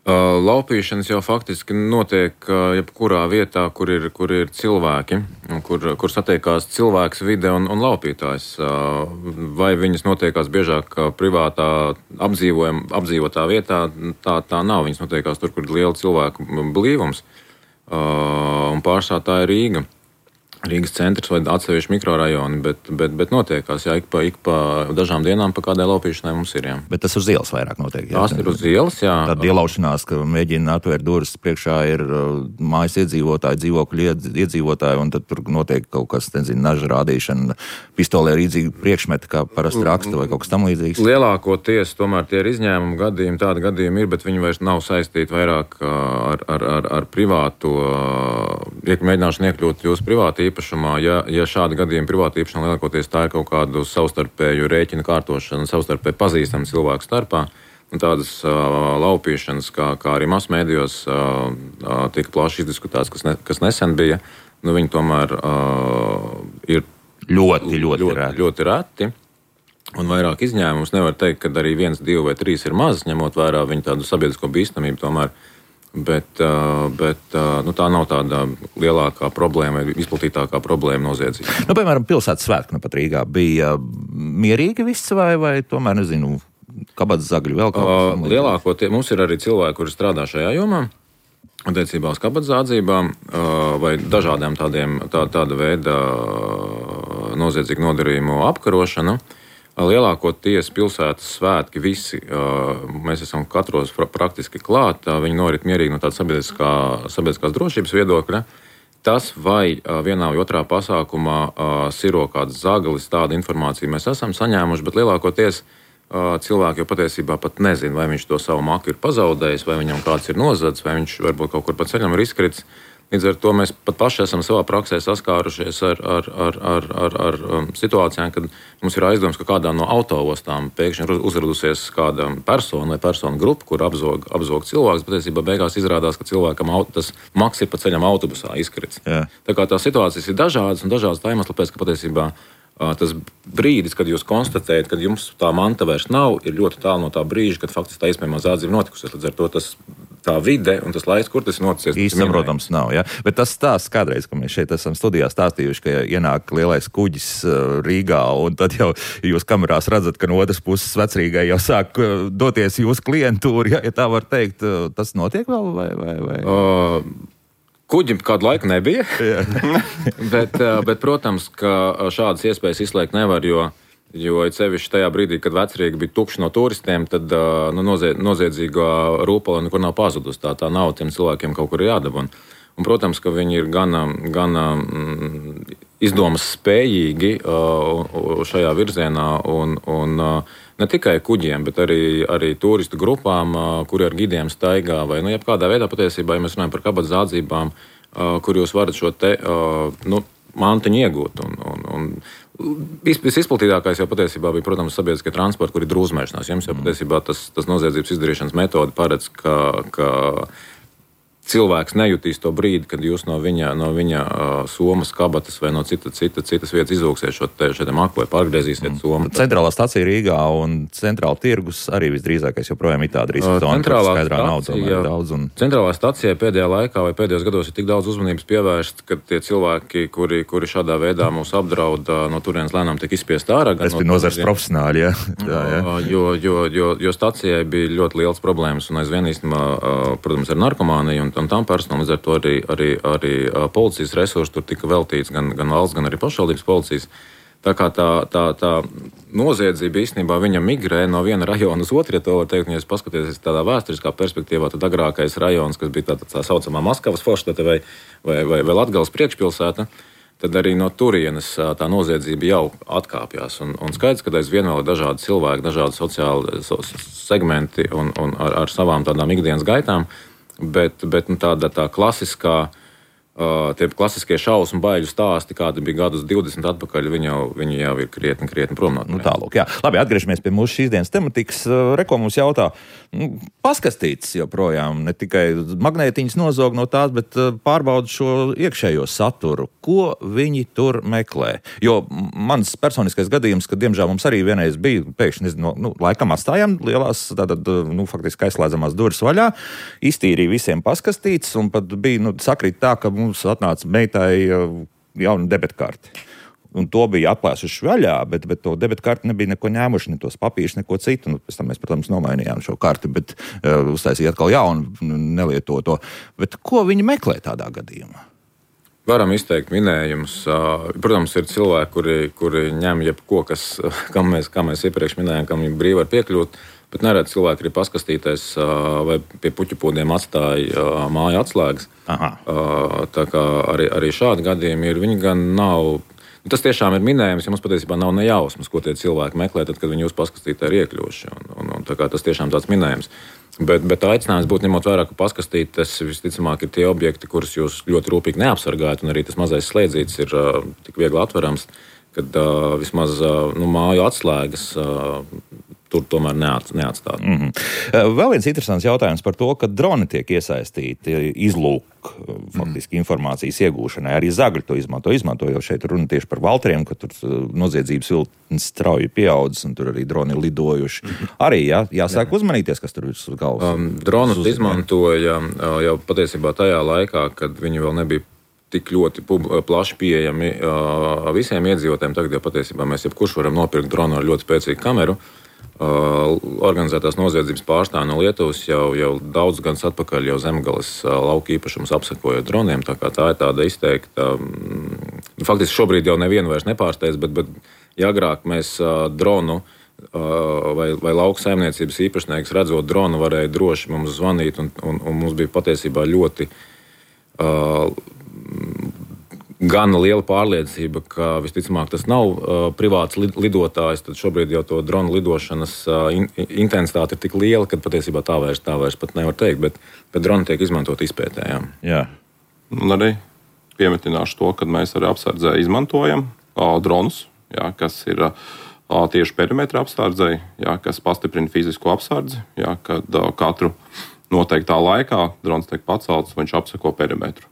Uh, laupīšanas jau faktiski notiek uh, jebkurā vietā, kur ir, kur ir cilvēki, kur, kur satiekās cilvēks, vide un, un laupītājs. Uh, vai viņas notiekās biežāk privātā apdzīvotā vietā, tā, tā nav. Viņas notiekās tur, kur ir liela cilvēku blīvums, uh, un pārsvarā tā ir Rīga. Rīgas centrs vai atsevišķi mikrorajoni, bet, bet, bet notiekās, jā, ik pa, ik pa dažām dienām pa kādai laupīšanai mums ir, jā. Bet tas uz ielas vairāk notiek, jā? Tās ir uz ielas, jā. Tāda ielaušanās, ka mēģina atvērt durvis, priekšā ir uh, mājas iedzīvotāji, dzīvokļu iedzīvotāji, un tad tur notiek kaut kas, nezinu, naža rādīšana, pistolē rīdzīgi priekšmeti, kā parasti raksta vai kaut kas tam līdzīgs. Lielākoties tomēr tie ir izņēmumi gadījumi, tādi gadījumi ir, bet viņi vairs nav saistīti vairāk ar, ar, ar, ar privāto, mēģināšanu iekļūt jūsu privāti īpašumā, ja, ja šādi gadījumi privāta īpašumā lielākoties tā ir kaut kādu savstarpēju rēķinu kārtošanu, savstarpēju pazīstamu cilvēku starpā, un tādas uh, laupīšanas, kā, kā arī masmēdijos uh, uh, tika plaši izdiskutēts, kas, ne, kas nesen bija, nu viņi tomēr uh, ir ļoti, ļoti, ļoti, reti. ļoti reti. Un vairāk izņēmumus nevar teikt, ka arī viens, divi vai trīs ir maz, ņemot vērā viņu tādu sabiedrisko bīstamību tomēr. Bet, bet nu, tā nav tāda lielākā problēma vai izplatītākā problēma noziedzība. Nu, piemēram, pilsētas svētki nu pat Rīgā bija mierīgi viss vai, vai tomēr, nezinu, kabatas zagļi vēl kaut kas? Uh, lielākoties mums ir arī cilvēki, kuri strādā šajā jomā, attiecībā uz kabatas zādzībām uh, vai dažādiem tādiem, tā, tāda veida noziedzīgu nodarījumu apkarošanu. Lielākoties pilsētas svētki visi, mēs esam katros praktiski klāt, viņi norit mierīgi no tāda sabiedriskā, sabiedriskās drošības viedokļa. Tas, vai vienā vai otrā pasākumā siro kāds zagalis, tādu informāciju mēs esam saņēmuši, bet lielākoties cilvēki jau patiesībā pat nezina, vai viņš to savu maku ir pazaudējis, vai viņam kāds ir nozadzis, vai viņš varbūt kaut kur pa ceļam ir izkritis. Līdz ar to mēs pat paši esam savā praksē saskārušies ar, ar, ar, ar, ar, ar situācijām, kad mums ir aizdoms, ka kādā no autoostām pēkšņi uzradusies kāda persona vai persona grupa, kur apzog, apzog cilvēks, bet patiesībā beigās izrādās, ka cilvēkam tas maks ir pa ceļam autobusā izkrits. Jā. Tā kā tās situācijas ir dažādas un dažādas tā iemesla pēc, ka patiesībā tas brīdis, kad jūs konstatējat, ka jums tā manta vairs nav, ir ļoti tālu no tā brīža, kad faktiski tā iespējamā zādzība notikusies. Līdz ar to tas, tā vide un tas laiks, kur tas ir noticis. Īsti saprotams nav, ja? Bet tas stāsts kādreiz, ka mēs šeit esam studijā stāstījuši, ka ienāk lielais kuģis Rīgā, un tad jau jūs kamerās redzat, ka no otras puses Vecrīgai jau sāk doties jūsu klientūri, ja, ja tā var teikt. Tas notiek vēl vai? vai, vai? Uh... Kuģim kādu laiku nebija, bet, bet, protams, ka šādas iespējas izslēgt nevar, jo Jo sevišķi tajā brīdī, kad Vecrīga bija tukša no turistiem, tad nu, noziedzīgā rūpala nekur nav pazudusi. Tā, tā nav tiem cilvēkiem kaut kur jādabuna. Un, protams, ka viņi ir gan, gan mm, izdomas spējīgi uh, šajā virzienā, un, un uh, ne tikai kuģiem, bet arī, arī turistu grupām, uh, kuri ar gidiem staigā, vai nu, jebkādā veidā patiesībā, ja mēs runājam par kabatas zādzībām, uh, kur jūs varat šo te uh, nu, mantiņu iegūt. Un, un, un, Visizplatītākais jau patiesībā bija, protams, sabiedriskie transporti, kur ir drūzmēšanās. Jums jau patiesībā tas, tas noziedzības izdarīšanas metode paredz, ka, ka cilvēks nejutīs to brīdi, kad jūs no viņa, no viņa uh, somas, kabatas vai no cita, cita, citas vietas izlūksiet šo te, šo te maku vai pārgriezīsiet somu. Centrālā stacija Rīgā un centrāla tirgus arī visdrīzākais joprojām ir tāda riska zona, kur skaidrā nauda tomēr daudz. Un... Centrālā stacijai pēdējā laikā vai pēdējos gados ir tik daudz uzmanības pievērsts, ka tie cilvēki, kuri, kuri šādā veidā mūs apdraud, no turienes lēnām tiek izspiest ārā. Tas bija nozars profesionāļi, jā. jā, jā. Jo, jo, jo, jo stacijai bija ļoti liels problēmas un aizvien īstenībā, protams, ar narkomāniju un un tam personām, līdz ar to arī, arī, arī policijas resursi tur tika veltīts gan, gan valsts, gan arī pašvaldības policijas. Tā kā tā, tā, tā noziedzība īstenībā viņa migrē no viena rajona uz otru, ja to var teikt, ja jūs paskaties tādā vēsturiskā perspektīvā, tad agrākais rajons, kas bija tā, tā saucamā Maskavas forštete vai, vai, vai, vai Latgales priekšpilsēta, tad arī no turienes tā noziedzība jau atkāpjās. Un, un skaidrs, ka aizvien vēl ir dažādi cilvēki, dažādi sociāli so, segmenti un, un ar, ar savām tādām ikdienas gaitām. Bet, bet nu, tāda tā klasiskā, uh, tie klasiskie šausmu baiļu stāsti, kādi bija gadus divdesmit atpakaļ, viņi jau, viņi jau ir krietni, krietni prom no nu, tālūk, jā. Labi, atgriežamies pie mūsu šīs dienas tematikas. Reko mums jautā, nu, paskastīts joprojām, ne tikai magnētiņas nozog no tās, bet pārbauda šo iekšējo saturu. Ko viņi tur meklē? Jo mans personiskais gadījums, ka diemžēl mums arī vienreiz bija, pēkšņi, nezinu, nu, laikam atstājām lielās, tātad, nu, faktiski aizslēdzamās durvis vaļā, iztīrīja visiem paskastītes, un pat bija, nu, sakrīt tā, ka mums atnāca meitai jauna debetkarti. Un to bija atklāsuši vaļā, bet, bet to debetkarti nebija neko ņēmuši, ne tos papīrus, neko citu. Nu, pēc tam mēs, protams, nomainījām šo karti, bet uh, uztaisīja atkal jaunu, nelietoto. Bet ko viņi meklē tādā gadījumā? Varam izteikt minējumus. Protams, ir cilvēki, kuri, kuri ņem jebko, kas, kam mēs, kā mēs iepriekš minējām, kam viņi brīvi var piekļūt, bet neredz cilvēki arī paskastīties vai pie puķupūdiem atstāja māju atslēgas. Aha. Tā kā arī, arī šādi gadījumi ir, viņi gan nav... Tas tiešām ir minējums, ja mums patiesībā nav nejausmas, ko tie cilvēki meklē, tad, kad viņi jūs paskastītē ir iekļuvuši. Un, un, un, tā kā tas tiešām tāds minējums. Bet, bet aicinājums būtu ņemot vērā, ka paskastītes visticamāk ir tie objekti, kurus jūs ļoti rūpīgi neapsargājat, un arī tas mazais slēdzītis ir uh, tik viegli atverams, kad uh, vismaz uh, nu, māju atslēgas uh, tur tomēr neatstāt. Mm-hmm. Vēl viens interesants jautājums par to, ka droni tiek iesaistīti izlūk faktiski informācijas iegūšanai. Arī Zagļi to izmanto. Izmanto jau šeit runa tieši par Valtriem, ka tur noziedzības viltnes strauji pieaudzis un tur arī droni lidojuši. Mm-hmm. Arī jā, jāsāk jā. uzmanīties, kas tur ir uz galvas. Um, dronus uz... izmantoja uh, jau patiesībā tajā laikā, kad viņi vēl nebija tik ļoti pub, plaši pieejami uh, visiem iedzīvotājiem. Tagad jau patiesībā mēs jebkurš varam nopirkt dronu ar ļoti spēcīgu kameru. Uh, organizētās noziedzības pārstāvji no Lietuvas jau, jau daudz gadus atpakaļ jau Zemgales uh, lauka īpašumus apsekoja droniem, tā kā tā ir tāda izteikta. Um, faktiski šobrīd jau nevienu vairs nepārsteidz, bet, bet ja agrāk mēs uh, dronu uh, vai, vai lauka saimniecības īpašnieks redzot dronu varēja droši mums zvanīt, un, un, un mums bija patiesībā ļoti uh, gan liela pārliecība, ka visticamāk tas nav uh, privāts lidotājs, tad šobrīd jau to dronu lidošanas uh, in, intensitāte ir tik liela, ka patiesībā tā vairs, tā vairs pat nevar teikt, bet, bet droni tiek izmantot izpētē. Jā. Jā. Un arī piemetināšu to, ka mēs arī apsardzē izmantojam uh, dronus, jā, kas ir uh, tieši perimetra apsardzei, jā, kas pastiprina fizisko apsardzi, jā, kad uh, katru noteiktā laikā drons tiek pacelts, viņš apseko perimetru.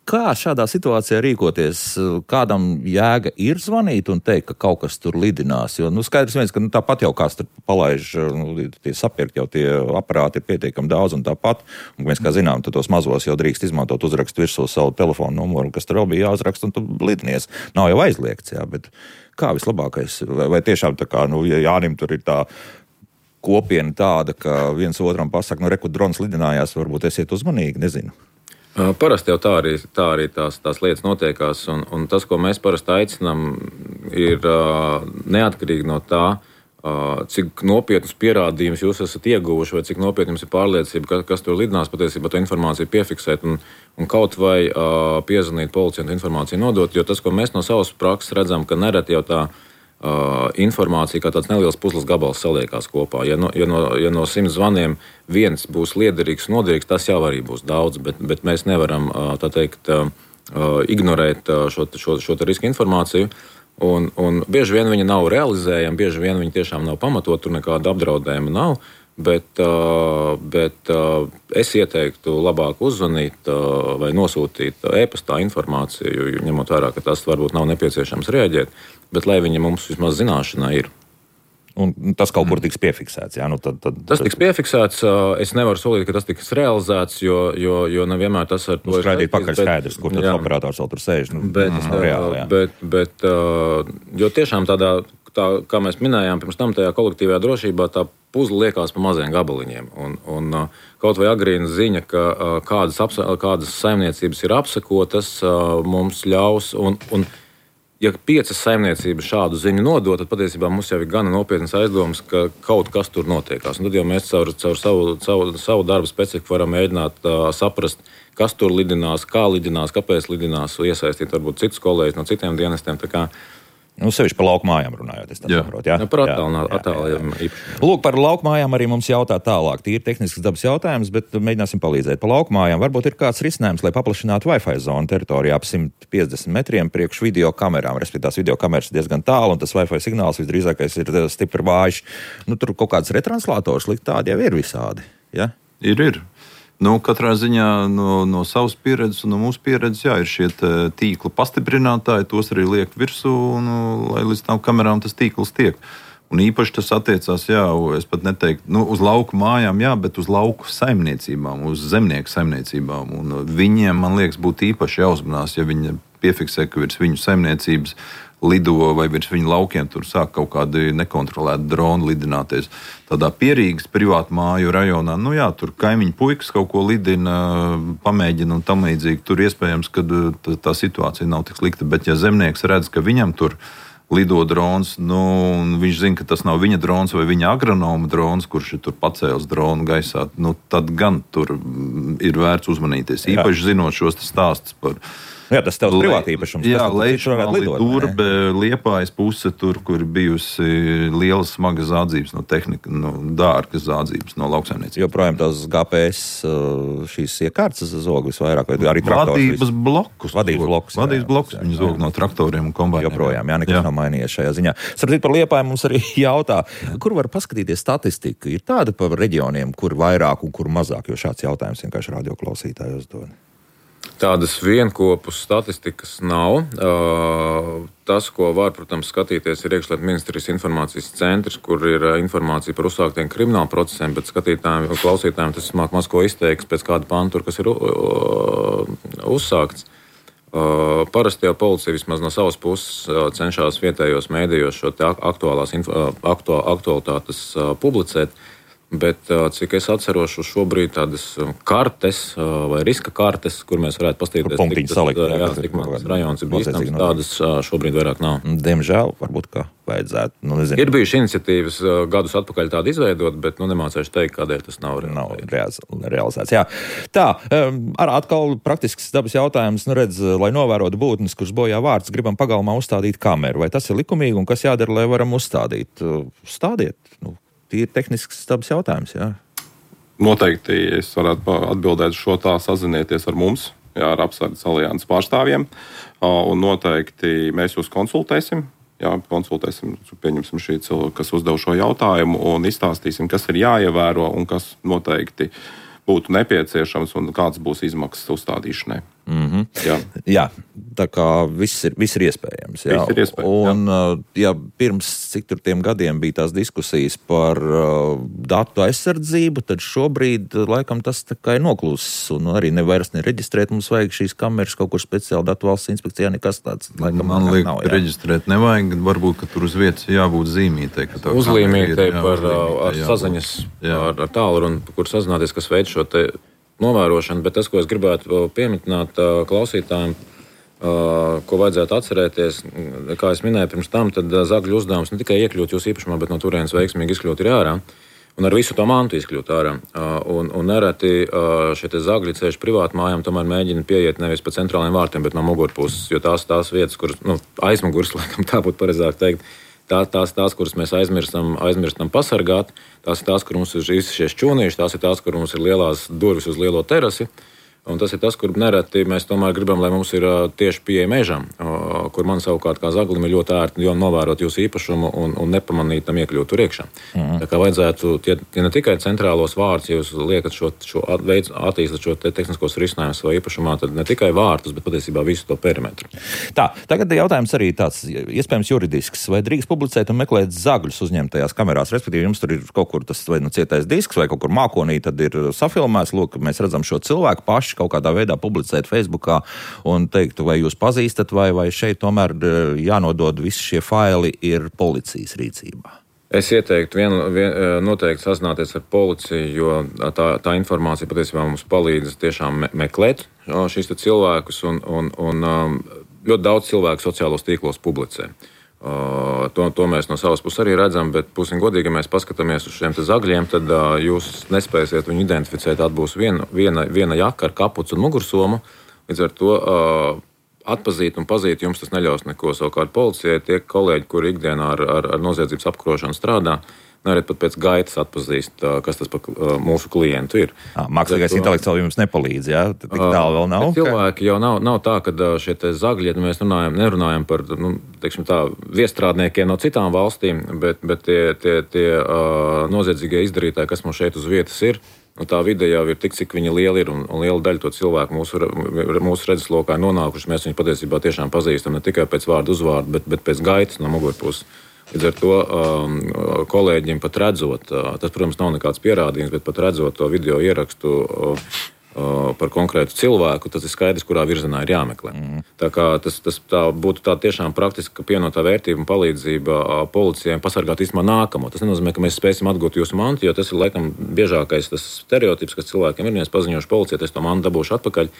Kā šādā situācijā rīkoties? Kādam jēga ir zvanīt un teikt, ka kaut kas tur lidinās? Jo, nu, skaidrs viens, ka nu, tāpat jau kāds tur palaiž, nu, tie sapirkt jau tie aparāti ir pietiekami daudz un tāpat. Un mēs, kā zinām, tos mazos jau drīkst izmantot, uzrakst virsū savu telefonu numuru, kas tur vēl bija jāuzrakst un tu lidinies. Nav jau aizliegts, jā, bet kā vislabākais? Vai, vai tiešām tā kā, nu, ja Jānim tur ir tā kopiena tāda, ka viens otram pasaka, nu, reku drons lidinājās, varbūt esiet uzmanīgi, nezinu. Parasti jau tā arī, tā arī tās, tās lietas notiekās, un, un tas, ko mēs parasti aicinām, ir uh, neatkarīgi no tā, uh, cik nopietnus pierādījumus jūs esat ieguvuši, vai cik nopietni jums ir pārliecība, ka, kas tur lidinās, patiesībā to informāciju piefiksēt un, un kaut vai uh, piezvanīt policijai un informāciju nodot, jo tas, ko mēs no savas prakses redzam, ka nereti jau tā Uh, informācija kā tāds neliels puzles gabals saliekās kopā. Ja no, ja no, ja no simts zvaniem viens būs liederīgs un noderīgs, tas jau arī būs daudz, bet, bet mēs nevaram uh, tā teikt, uh, ignorēt uh, šo, šo, šo riska informāciju. Un, un bieži vien viņa nav realizējama, bieži vien viņa tiešām nav pamatot, tur nekāda apdraudējuma nav. Bet, uh, bet uh, es ieteiktu labāk uzzvanīt uh, vai nosūtīt e-pastā informāciju, ņemot vērā, ka tas varbūt nav nepieciešams reaģēt, bet lai viņa mums vismaz zināšanā ir. Un tas kaut kur tiks piefiksēts. Jā? Nu, tad, tad, tas tiks piefiksēts. Uh, es nevaru solīt, ka tas tiks realizēts, jo, jo, jo nevienmēr tas ar to ir skaidrīt pakaļ skaidrs, kur tas operators vēl tur sēž. Nu, bet, tas nav reāli. Jā. Bet, bet, uh, jo tiešām tādā, tā, kā mēs minējām, pirms tam tajā kolektīvajā drošībā tā puzle liekas pa maziem gabaliņiem. Un, un kaut vai agrīna ziņa, ka kādas, apsa, kādas saimniecības ir apsekotas, mums ļaus. Un, un, ja piecas saimniecības šādu ziņu nodot, tad patiesībā mums jau ir gana nopietnas aizdomas, ka kaut kas tur notiekās. Un tad jau mēs caur, caur savu, savu, savu darbu specifiku varam mēģināt uh, saprast, kas tur lidinās, kā lidinās, kāpēc lidinās, iesaistīt varbūt citus kolēģus no citiem dienestiem. Tā kā Nu, sevišķi par laukmājām runājot, es tā saprotu. Jā, jā, par attālinājumu īpaši. Lūk, par laukmājām arī mums jautā tālāk. Tīri tehnisks dabas jautājums, bet mēģināsim palīdzēt. Par laukmājām varbūt ir kāds risinājums, lai paplašinātu Wi-Fi zonu teritorijā ap simt piecdesmit metriem priekš video kamerām. Respektīvi, tās video kameras ir diezgan tālu, un tas Wi-Fi signāls visdrīzākais ir stipri vājš. Nu, tur kaut kāds retranslators likt tādi jau ir visādi. Ja? Ir, ir. Nu, katrā ziņā no, no savas pieredzes un no mūsu pieredzes, jā, ir šie tīkla pastiprinātāji, tos arī liek virsū, un, lai līdz tām kamerām tas tīkls tiek. Un īpaši tas attiecās, jā, es pat neteiktu, nu, uz lauku mājām, jā, bet uz lauku saimniecībām, uz zemnieku saimniecībām. Un viņiem, man liekas, būtu īpaši jāuzmanās, ja viņi piefiksē, ka virs viņu saimniecības lido vai virs viņu laukiem tur sāk kaut kādi nekontrolēti droni lidināties. Tādā Pierīgas privātu māju rajonā, nu jā, tur kaimiņu puikas kaut ko lidina, pamēģina un tam līdzīgi. Tur iespējams, ka tā, tā situācija nav tik slikta, bet ja zemnieks redz, ka viņam tur lido drons, nu, un viņš zina, ka tas nav viņa drons vai viņa agronoma drons, kurš ir tur pacēlis dronu gaisā, nu, tad gan tur ir vērts uzmanīties. Īpaši zinot šos stāstus par Jā, tas tev ir privāti īpašums. Jā, Leičmāli, Durbe, Liepājas puse, tur, kur bijusi lielas smagas zādzības no tehnika, no dārgas zādzības no lauksaimniecības. Joprojām tās G P S šīs iekārtas zog visvairāk, vai arī traktors? Vadības blokus. Vadības blokus. Vadības blokus viņi zog no traktoriem un kombainiem. Joprojām, jā, nekas jā. Nav mainījies šajā ziņā. Sardzīt par Liepāju mums arī jautā, kur var paskatīties statistika? Ir tāda par reģioniem, kur vairāk un kur mazāk, jo šāds jautājums vienkārši radioklausītāji uzdod. Tādas vienkopus statistikas nav. Tas, ko var, protams, skatīties, ir iekšlietu ministrijas informācijas centrs, kur ir informācija par uzsāktiem kriminālu procesiem, bet skatītājiem un klausītājiem tas māk maz ko izteiks pēc kāda pantura, kas ir uzsākts. Parasti jau policija vismaz no savas puses cenšas vietējos mēdījos šo aktuālās aktuā, aktualitātes publicēt. Bet, cik es atceros, šobrīd tādas kartes vai riska kartes, kur mēs varētu paskatīties, cik tas ir rajons ir bīstams, tādas šobrīd vairāk nav. Diemžēl, varbūt, ka vajadzētu. Nu, nezinu. Ir bijuši iniciatīvas gadus atpakaļ tādu izveidot, bet nu, nemācēšu teikt, kādēļ tas nav realizēts. Nav realizēts, jā. Tā, ar atkal praktisks dabas jautājums, nu redz, lai novērotu būtnes, kuras bojā vārds, gribam pagalmā uzstādīt kameru. Vai tas ir likumīgi un kas jādara, lai varam uzstādīt? Uzstādiet, nu. Ir tehnisks dabas jautājums, jā. Noteikti es varētu atbildēt šo tā sazinieties ar mums, jā, ar apsardzes alianses pārstāvjiem, un noteikti mēs jūs konsultēsim, jā, konsultēsim, pieņemsim šī cilvēka, kas uzdev šo jautājumu, un izstāstīsim, kas ir jāievēro un kas noteikti būtu nepieciešams un kāds būs izmaksas uzstādīšanai. Mm-hmm. Jā. jā, tā kā viss ir, viss ir iespējams. Jā. Viss ir iespējams, un, jā. Jā, pirms cik tur tiem gadiem bija tās diskusijas par uh, datu aizsardzību, tad šobrīd laikam tas tā kā ir noklūsis un arī nevairs nereģistrēt. Mums vajag šīs kameras kaut kur speciāli datu valsts inspekcijā, nekas tāds. Laikam, Man liekas, nav, reģistrēt nevajag, varbūt, ka tur uz vietas jābūt zīmītei. Uzlīmītei par jā, saziņas jā. ar, ar tālruni, kur sazināties, kas veids šo te novērošana, bet tas, ko es gribētu pieminēt klausītājiem, ko vajadzētu atcerēties, kā es minēju pirms tam, tad zagļu uzdevums ne tikai iekļūt jūsu īpašumā, bet no turienes veiksmīgi izkļūt ir ārā. Un ar visu to mantu izkļūt ārā. Un, un nereti šie zagļi ceļš privātu mājām tomēr mēģina pieiet nevis pa centrālajiem vārtiem, bet no mugurpuses, jo tās tās vietas, kuras, nu, aizmugurs, laikam tā būtu pareizāk teikt, tā, tās, tās, kuras mēs aizmirstam, aizmirstam pasargāt, tās ir tās, kur mums ir visi šie šķūnīši, tās ir tās, kur mums ir lielās durvis uz lielo terasi. Un tas ir tas, kur nereti mēs tomēr gribam, lai mums ir tieši pieeja mežam, kur man savukārt kā zaglim ir ļoti ērti novērot jūsu īpašumu un, un nepamanīt tam iekļūt tur iekšā. Mm. Tā kā vajadzētu, tie, tie ne tikai centrālos vārtus, ja jūs liekat šo, šo veids, attīstat šo te tehniskos risinājumus savā īpašumā, tad ne tikai vārtus, bet patiesībā visu to perimetru. Tā, tagad jautājums arī tāds, iespējams juridisks, vai drīkst publicēt un meklēt zagļus uzņemtajās kamerās, respektīvi jums tur ir kaut kur tas vai nu cietais disks vai kaut kur mākonī, tad ir safilmēts, lūk, mēs redzam šo cilvēku paši kaut kādā veidā publicēt Facebookā un teikt, vai jūs pazīstat, vai, vai šeit tomēr jānodod visi šie faili ir policijas rīcībā? Es ieteiktu vien, vien, noteikti sazināties ar policiju, jo tā, tā informācija patiesībā mums palīdz tiešām me, meklēt šīs cilvēkus, un, un, un ļoti daudz cilvēku sociālos tīklos publicē. Uh, to, to mēs no savas puses arī redzam, bet būsim godīgi, ja mēs paskatāmies uz šiem zagļiem, tad uh, jūs nespēsiet viņu identificēt. Atbūs viena, viena, viena jaka ar kapucu un mugursomu. Līdz ar to uh, atpazīt un pazīt jums tas neļaus neko. Savukārt policijai tie kolēģi, kuri ikdienā ar, ar, ar noziedzības apkarošanu strādā, nereti pat pēc gaitas atpazīst, kas tas par mūsu klientu ir. À, mākslīgais intelekts vēl jums nepalīdz, jā? Tik tālu vēl nav? Cilvēki jau nav, nav tā, ka šie te zagļi, ja mēs runājam, nerunājam par, nu, teiksim tā, viestrādniekiem no citām valstīm, bet, bet tie, tie, tie uh, noziedzīgie izdarītāji, kas mums šeit uz vietas ir, nu, tā vide jau ir tik, cik viņa liela ir, un, un liela daļa to cilvēku mūsu, mūsu redzeslokā ir nonākuši. Mēs viņu patiesībā tiešām pazīstam ne tikai pēc vārdu uzvārdu, bet, bet pēc gaitas no mugurpuses. Līdz ar to um, kolēģiem pat redzot, uh, tas, protams, nav nekāds pierādījums, bet pat redzot to video ierakstu uh, uh, par konkrētu cilvēku, tas ir skaidrs, kurā virzienā ir jāmeklē. Mm. Tā kā tas, tas tā būtu tā tiešām praktiska pienotā vērtība un palīdzība uh, policijai pasargāt īstenībā nākamo. Tas nenozīmē, ka mēs spēsim atgūt jūsu mantu, jo tas ir laikam biežākais tas stereotips, kas cilvēkiem ir, ja es paziņošu policijai, es to mantu dabūšu atpakaļ.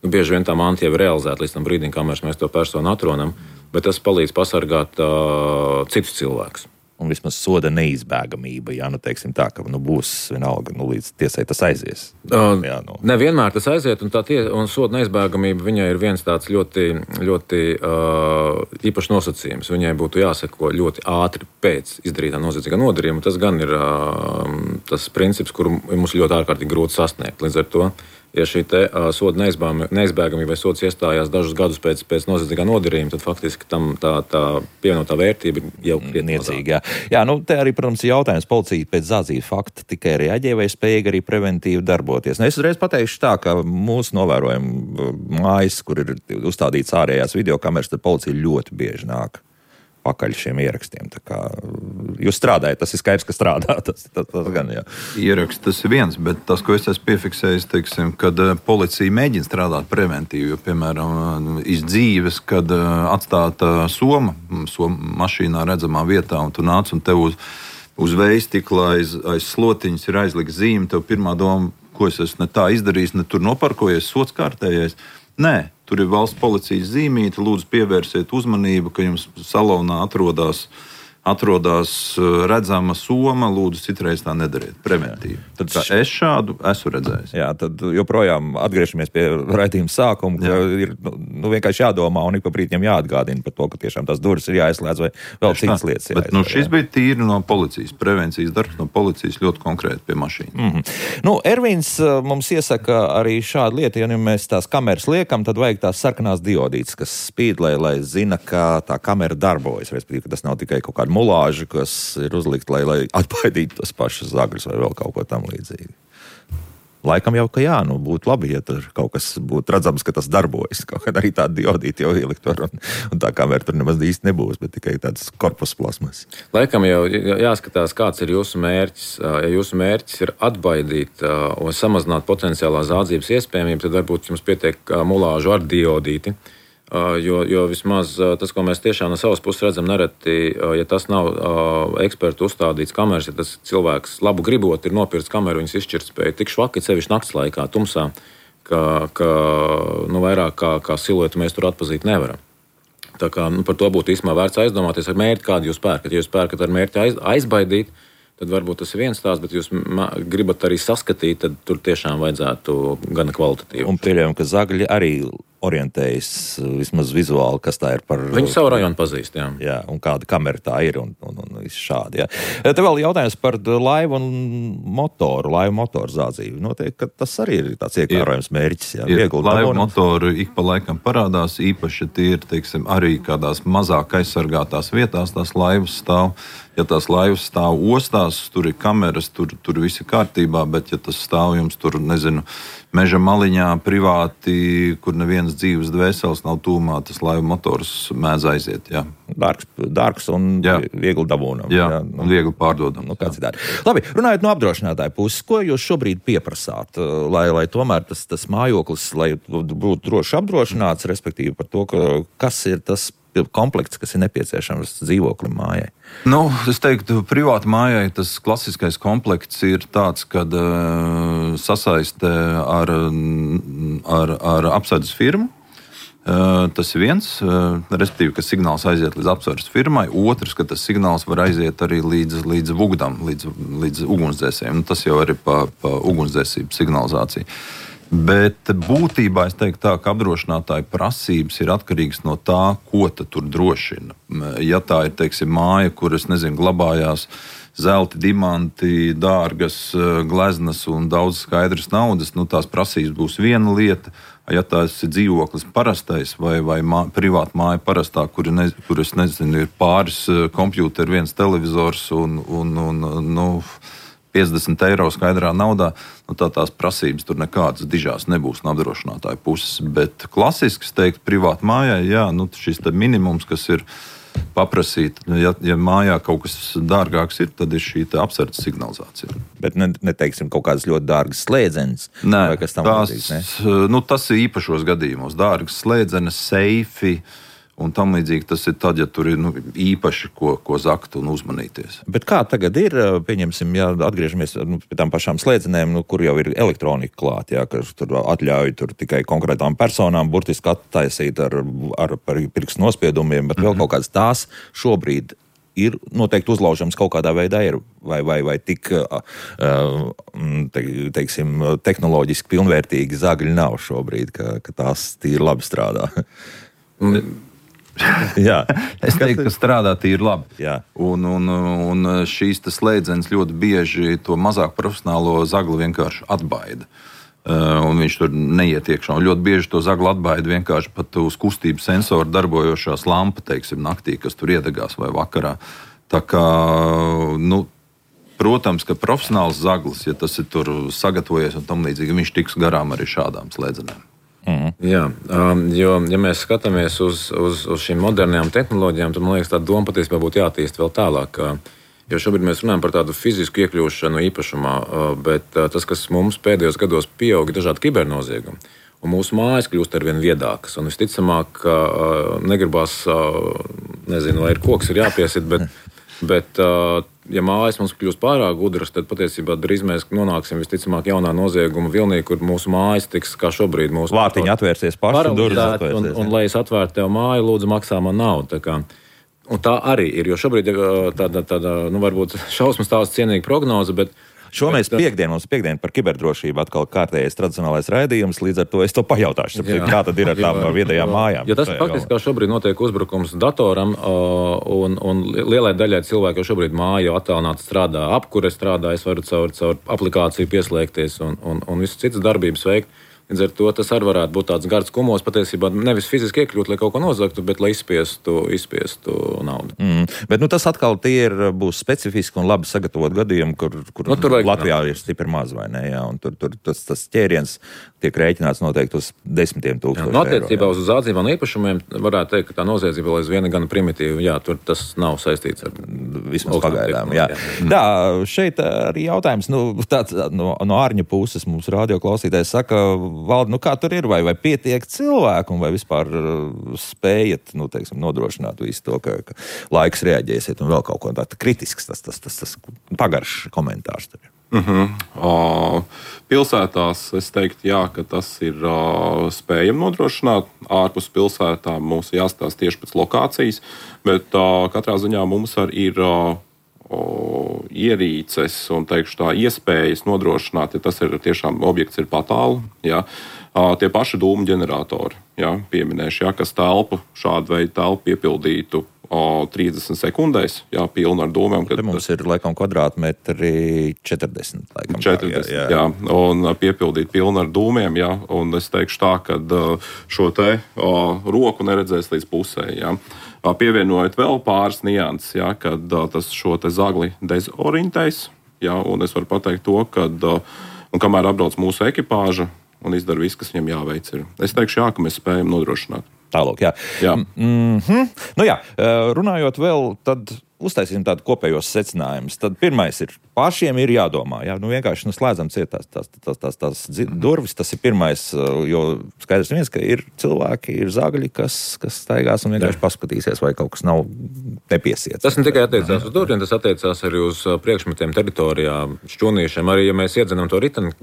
Nu, bieži vien tā manta jau ir realizēta līdz tam brīdim, kamēr mēs to personu atrodam, bet tas palīdz pasargāt uh, citus cilvēkus. Un vismaz soda neizbēgamība, jā, nu teiksim tā, ka nu, būs vienalga, nu līdz tiesai tas aizies. Uh, jā, nu. Nevienmēr tas aiziet, un, tā tie, un soda neizbēgamība viņai ir viens tāds ļoti, ļoti uh, īpašs nosacījums. Viņai būtu jāseko ļoti ātri pēc izdarītā noziedzīgā nodarījuma. Tas gan ir uh, tas princips, kuru mums ļoti ārkārtīgi grūti sasniegt. Līdz ar to, ja šī te, uh, soda neizbēgamība vai sods iestājās dažus gadus pēc, pēc noziedzīgā nodarījuma, tad faktiski tam tā, tā pievienotā vērtība jau ir niecīga. Jā, nu te arī, protams, ir jautājums, policija pēc zādzību fakta tikai reaģē vai spēja arī preventīvi darboties. Nu, es uzreiz pateikšu tā, ka mūsu novērojumi mājas, kur ir uzstādīts ārējās videokameras, tad policija ļoti bieži nāk pakaļ šiem ierakstiem. Tā kā jūs strādājat, tas ir skaidrs, ka strādā. Tas, tas, tas gan, jā. Ieraksts tas ir viens, bet tas, ko es esmu piefiksējis, teiksim, kad policija mēģina strādāt preventīvi, jo, piemēram, iz dzīves, kad atstāta soma, soma mašīnā redzamā vietā, un tu nāc un tev uz, uz veistikla aiz, aiz slotiņas ir aizlikta zīme, tev pirmā doma, ko es esmu ne tā izdarījis, ne tur noparkojies, sots kārtējais. Nē, tur ir valsts policijas zīmīte, lūdzu pievērsiet uzmanību, ka jums salonā atrodas, atrodas redzama soma, lūdzu citreiz tā nedariet, preventīvi. Tad es šādu esmu redzējis. Jā, tad joprojām atgriežamies pie raidījuma sākuma, ka jā. ir nu, vienkārši jādomā un ik pa brīdim jāatgādina par to, ka tiešām tās durvis ir jāizslēdz vai vēl citas lietas jāizslēdz. Bet nu, šis jā. bija tīri no policijas, prevencijas darbs no policijas ļoti konkrēti pie mašīnas. Mm-hmm. Nu, Ervins mums iesaka arī šādu lietu, ja nu mēs tās kameras liekam, tad vajag tās sarkanās diodītes, kas spīd, lai, lai zina, ka tā kamera darbojas, respektīvi, ka tas nav tikai kaut kāda mulāži, kas ir uzlikt, lai, lai atbaidītu tos pašus zagļus vai vēl kaut ko tam līdzīgi. Laikam jau, ka jā, nu būtu labi, ja tur kaut kas būtu redzams, ka tas darbojas. Kaut kad arī tāda diodīte jau ielikt var, un, un tā kamera tur nemaz īsti nebūs, bet tikai tāds korpus plasmas. Laikam jau jāskatās, kāds ir jūsu mērķis. Ja jūsu mērķis ir atbaidīt un samazināt potenciālā zādzības iespējamību, tad varbūt jums pietiek mulāžu ar diodīti. Jo, jo vismaz tas, ko mēs tiešām no savas puses redzam, nereti, ja tas nav ekspertu uzstādīts kameras, ja tas cilvēks labu gribot ir nopircis kameru, viņas izšķirtspēja tik švaki, sevišķi nakts laikā, tumsā, ka, ka nu, vairāk kā, kā siluetu mēs tur atpazīt nevaram. Tā kā nu, par to būtu īstenībā vērts aizdomāties ar mērķi, kādu jūs pērkat. Ja jūs pērkat ar mērķi aiz, aizbaidīt, tad varbūt tas ir viens stāsts, bet jūs gribat arī saskatīt, tad tur tiešām vajadzētu gana kvalitatīvi. Un pieļaujam, ka zagļi arī orientējas vismaz vizuāli, kas tā ir par... Viņi savu rajonu pazīst, jā. Jā, un kāda kamera tā ir un, un, un viss šādi, jā. Te vēl jautājums par laivu un motoru, laivu motoru zādzību. Noteikti, ka tas arī ir tāds iekārojams mērķis, jā. Ir, laivu motoru ik pa laikam parādās, īpaši tie ir, teiksim, arī kādās mazāk aizsargātās vietās tās laivas stāv. Ja tās laivas stāv ostās, tur ir kameras, tur, tur viss ir kārtībā, bet ja tas stāv jums tur, nezinu, meža maliņā privāti, kur nevienas dzīves dvēseles nav tūmā, tas laivu motors mēdz aiziet, jā. Dārgs, dārgs un jā. Viegli dabūnam. Jā, jā nu, un viegli pārdodam. Nu, kāds citādi. Labi, runājot no apdrošinātāja puses, ko jūs šobrīd pieprasāt, lai, lai tomēr tas, tas mājoklis, lai būtu droši apdrošināts, respektīvi par to, ka, kas ir tas komplekts, kas ir nepieciešams dzīvoklim mājai? Nu, es teiktu, privāti mājai tas klasiskais komplekts ir tāds, kad uh, sasaiste ar, ar, ar apsardzes firmu. Uh, tas ir viens, uh, respektīvi, ka signāls aiziet līdz apsardzes firmai. Otrs, ka tas signāls var aiziet arī līdz, līdz vugdam, līdz, līdz ugunsdzēsējiem. Nu, tas jau arī pa, pa ugunsdzēsību signalizāciju. Bet būtībā es teiktu tā, ka apdrošinātāja prasības ir atkarīgas no tā, ko tur drošina. Ja tā ir, teiksim, māja, kur, es nezinu, glabājās zelti, diamanti, dārgas gleznas un daudz skaidras naudas, nu tās prasības būs viena lieta. Ja tās ir dzīvoklis parastais vai, vai mā, privāta māja parastā, kur, ne, kur es nezinu, ir pāris kompjūteri, viens televizors un, un, un nu, piecdesmit eiro skaidrā naudā, nu tā tās prasības tur nekādas dižās nebūs no apdrošinātāja puses. Bet klasiski, es teiktu, privāta mājai, jā, nu šis te minimums, kas ir paprasīt, ja, ja mājā kaut kas dārgāks ir, tad ir šī apsardzes signalizācija. Bet ne, neteiksim kaut kādas ļoti dārgas slēdzenes? Nē, vai kas tam tās, līdzīgs, ne? Nu, tas ir īpašos gadījumos. Dārgas slēdzenes, seifi un tam līdzīgi tas ir tad, ja tur ir nu, īpaši ko, ko zakt un uzmanīties. Bet kā tagad ir, pieņemsim, ja atgriežamies nu, pie tām pašām slēdzenēm, nu, kur jau ir elektronika klāt, jā, ka tur atļauj tur tikai konkrētām personām burtiski attaisīt ar, ar pirkstu nospiedumiem, bet vēl kaut kādas tās šobrīd ir noteikti uzlaužams kaut kādā veidā ir, vai, vai, vai tik, te, teiksim, tehnoloģiski pilnvērtīgi zagļi nav šobrīd, ka, ka tās tīri labi strādā. Mm. Jā, es teiktu, ka strādā tīri labi. Jā. Un, un, un šīs slēdzenes ļoti bieži to mazāk profesionālo zagli vienkārši atbaida. Uh, un viņš tur neiet iekšā. Un ļoti bieži to zagli atbaida vienkārši pat uz kustību sensoru darbojošās lampa, teiksim, naktī, kas tur iedegās vai vakarā. Tā kā, nu, protams, ka profesionāls zaglis, ja tas ir tur sagatavojies un tam līdzīgi, viņš tiks garām arī šādām slēdzenēm. Mm. Jā, um, jo, ja mēs skatāmies uz, uz, uz šīm modernajām tehnoloģijām, tad man liekas, tā doma patiesībā būtu jātīst vēl tālāk. Jo šobrīd mēs runājam par tādu fizisku iekļūšanu īpašumā, bet tas, kas mums pēdējos gados pieauga, dažādi kibernoziegumi. Un mūsu mājas kļūst arvien viedākas. Un visticamāk, negribās, nezinu, vai ir koks ir jāpiesit, bet, bet ja mājas mums kļūst pārāk gudras, tad patiesībā drīz mēs nonāksim visticamāk jaunā nozieguma vilnī, kur mūsu mājas tiks kā šobrīd mūsu vārtiņi atvērsies paši, durvis atvērsies. Un, un lai es atvērtu tev māju, lūdzu maksā man naudu. Tā kā, un tā arī ir, jo šobrīd tāda, tāda nu, varbūt šausmas tās cienīga prognoze, bet Šo mēs piekdien, mums piekdien par kiberdrošību atkal kārtējais tradicionālais raidījums, līdz ar to es to pajautāšu, jā, kā tad ir ar tām viedajām mājām. Jo tas faktiski kā šobrīd notiek uzbrukums datoram, un, un lielai daļai cilvēku jau šobrīd māja attālināti strādā, apkure strādā, es varu caur, caur aplikāciju pieslēgties un, un, un visas citas darbības veikt. Līdz ar to tas arī varētu būt tāds gards kumos, patiesībā nevis fiziski iekļūt, lai kaut ko nozagtu, bet lai izspiestu, izspiestu naudu. Mm, bet nu, tas atkal tie ir, būs specifiski un labi sagatavot gadījumi, kur, kur nu, tur Latvijā ir stipri maz, vai ne? Jā, un tur, tur tas, tas ķēriens tiek rēķināts noteikti uz desmitiem tūkstoši eiro. Attiecībā uz zādzībām un īpašumiem varētu teikt, ka tā noziedzība vēl aizvien gan primitīva. Jā, tur tas nav saistīts ar vismaz pagaidām. Jā. Jā, šeit arī jautājums, nu, tāds, no, no ārņa puses mums radio klausītājs saka, Valdi, nu kā tur ir, vai, vai pietiek cilvēku, un vai vispār spējat, nu, teiksim, nodrošināt visu to, ka, ka laiks reaģēsiet un vēl kaut ko tādu kritisks, tas, tas, tas, tas pagaršs komentārs tur ir. Uh-huh. Uh, pilsētās es teiktu, jā, ka tas ir uh, spējami nodrošināt. Ārpus pilsētām mums jāstāsta tieši pēc lokācijas, bet uh, katrā ziņā mums arī ir uh, uh, ierīces un teikšu, tā, iespējas nodrošināt, ja tas ir tiešām objekts ir patālu. Jā. Uh, tie paši dūmu ģeneratori, jā, pieminēšu, jā, kas telpu, šādu veidu telpu piepildītu trīsdesmit sekundēs, jā, pilnu ar dūmiem. Te mums ir, laikam, kvadrātmetri četrdesmit, laikam. četrdesmit, jā, jā. jā, un piepildīt pilnu ar dūmiem, jā, un es teikšu tā, ka šo te o, roku neredzēs līdz pusē, jā. Pievienojot vēl pāris nianses, jā, kad tas šo te zagli dezorientēs, jā, un es varu pateikt to, kad, un kamēr apbrauc mūsu ekipāža un izdara viss, kas viņam jāveic ir. Es teikšu, jā, ka mēs spējam nodrošināt. Tālāk, jā. jā. Mm-hmm. Nu jā, runājot vēl, tad uztaisīsim tādu kopējos secinājumus. Tad pirmais ir, pašiem ir jādomā. Jā, nu vienkārši nu, slēdzam ciet tās, tās, tās, tās, tās durvis. Tas ir pirmais, jo skaidrs viens, ka ir cilvēki, ir zagļi, kas, kas staigās un vienkārši paskatīsies, vai kaut kas nav nepiesiets. Tas ne tikai attiecās uz durvīm, tas attiecās arī uz priekšmetiem teritorijā, šķūniešiem. Arī, ja mēs iedzenam to riteni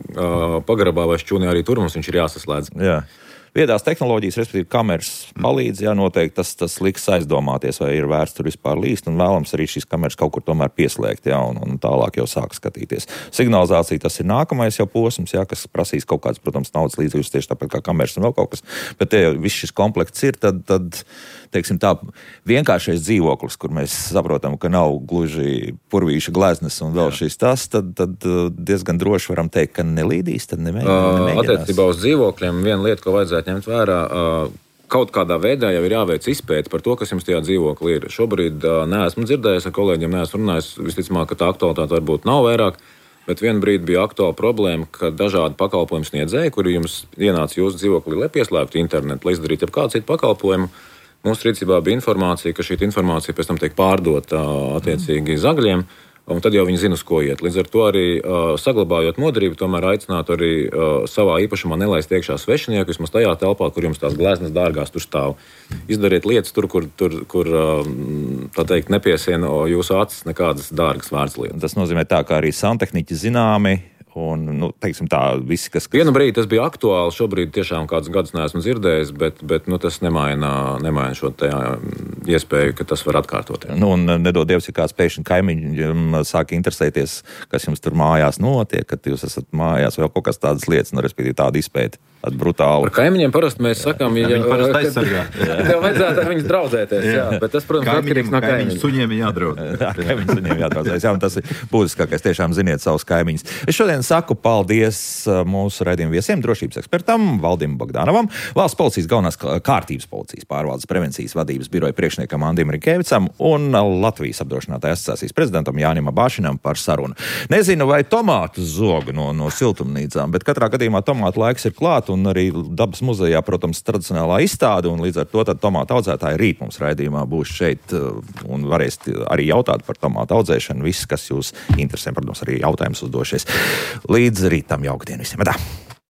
pagrabā vai šķūnī, arī tur mums viņš ir jāsaslēdz. Jā. Viedās tehnoloģijas, respektīvi kameras palīdz, jā, noteikti tas, tas liks aizdomāties, vai ir vērts tur vispār līst, un vēlams arī šīs kameras kaut kur tomēr pieslēgt, jā, un, un tālāk jau sāk skatīties. Signalizācija tas ir nākamais jau posms, jā, kas prasīs kaut kāds, protams, naudas līdzekļus tieši tāpēc kā kameras un vēl kaut kas, bet te jau viss šis komplekts ir, tad, tad teiksim tā, vienkāršais dzīvoklis, kur mēs saprotam, ka nav gluži purvīša gleznes un vēl jā. Šis tas, tad, tad diezgan droši varam teikt, ka nelīdīs, tad nemēģinās. Attiecībā uz dzīvokļiem viena lieta, ko vajadzētu ņemt vērā, kaut kādā veidā jau ir jāveic izpēti par to, kas jums tajā dzīvoklī ir. Šobrīd neesmu dzirdējis, ar kolēģiem neesmu runājis, visticamāk, ka tā aktualitāte varbūt nav vairāk, bet vienu brīdi bija aktuāla problēma, ka dažādi pakalpojumu sniedzēji, kuri jums ienāca jūsu dzīvoklī, lai pieslēgtu internetu, lai izdarītu jebkādu citu pakalpojumu, mūsu rīcībā bija informācija, ka šī informācija pēc tam tiek pārdota attiecīgi zagļiem, un tad jau viņi zina, uz ko iet. Līdz ar to arī uh, saglabājot modrību, tomēr aicinātu arī uh, savā īpašumā nelaist iekšā svešinieku, vismaz tajā telpā, kur jums tās gleznas dārgās tur stāv. Izdariet lietas tur, kur, tur, kur uh, tā teikt, nepiesiena jūsu acis nekādas dārgas vērts lietas. Tas nozīmē tā, ka arī santehniķi zināmi, un, nu, teiksim tā, visi, kas... Vienu brīdi tas bija aktuāli, šobrīd tiešām kādus gadus neesmu dzirdējis, bet, bet nu, tas nemaina, nemaina šo te iespēju, ka tas var atkārtot. Nu, un nedod Dievs, ja kāds pēkšņi kaimiņi sāk interesēties, kas jums tur mājās notiek, kad jūs esat mājās, vēl kaut kas tādas lietas, nu, respektīvi tāda izpēta. Tāda brutāla. Par kaimiņiem parasti mēs sakām, ja, viņi parasti aizsargā. Tev vajadzētu ar viņus draudzēties, jā. jā. Bet tas, protams, atkarīgs no kaimiņiem. Kaimiņu suņiem ir jādraud. Jā, kaimiņu suņiem jādraudzēs. Jā, un tas ir būtiskākais. Tiešām ziniet savus kaimiņus. Es šodien saku paldies mūsu raidījuma viesiem, drošības ekspertam Valdim Bogdanovam, Valsts policijas galvenās kārtības policijas pārvaldes prevencijas vadības biroja priekšniekam Andim Rikēvicam un Latvijas apdrošinātāju asociācijas prezidentam Jānim Abāšinam par sarunu. Nezinu, vai tomātu zoga no, no siltumnīcām, bet katrā gadījumā tomātu laiks ir klāt. Un arī Dabas muzejā, protams, tradicionālā izstāde, un līdz ar to tad tomātu audzētāji rīt mums raidījumā būs šeit un varēs arī jautāt par tomātu audzēšanu. Viss, kas jūs interesē, protams, arī jautājums uzdošies. Līdz rītam, jauktdien visiem. Tā.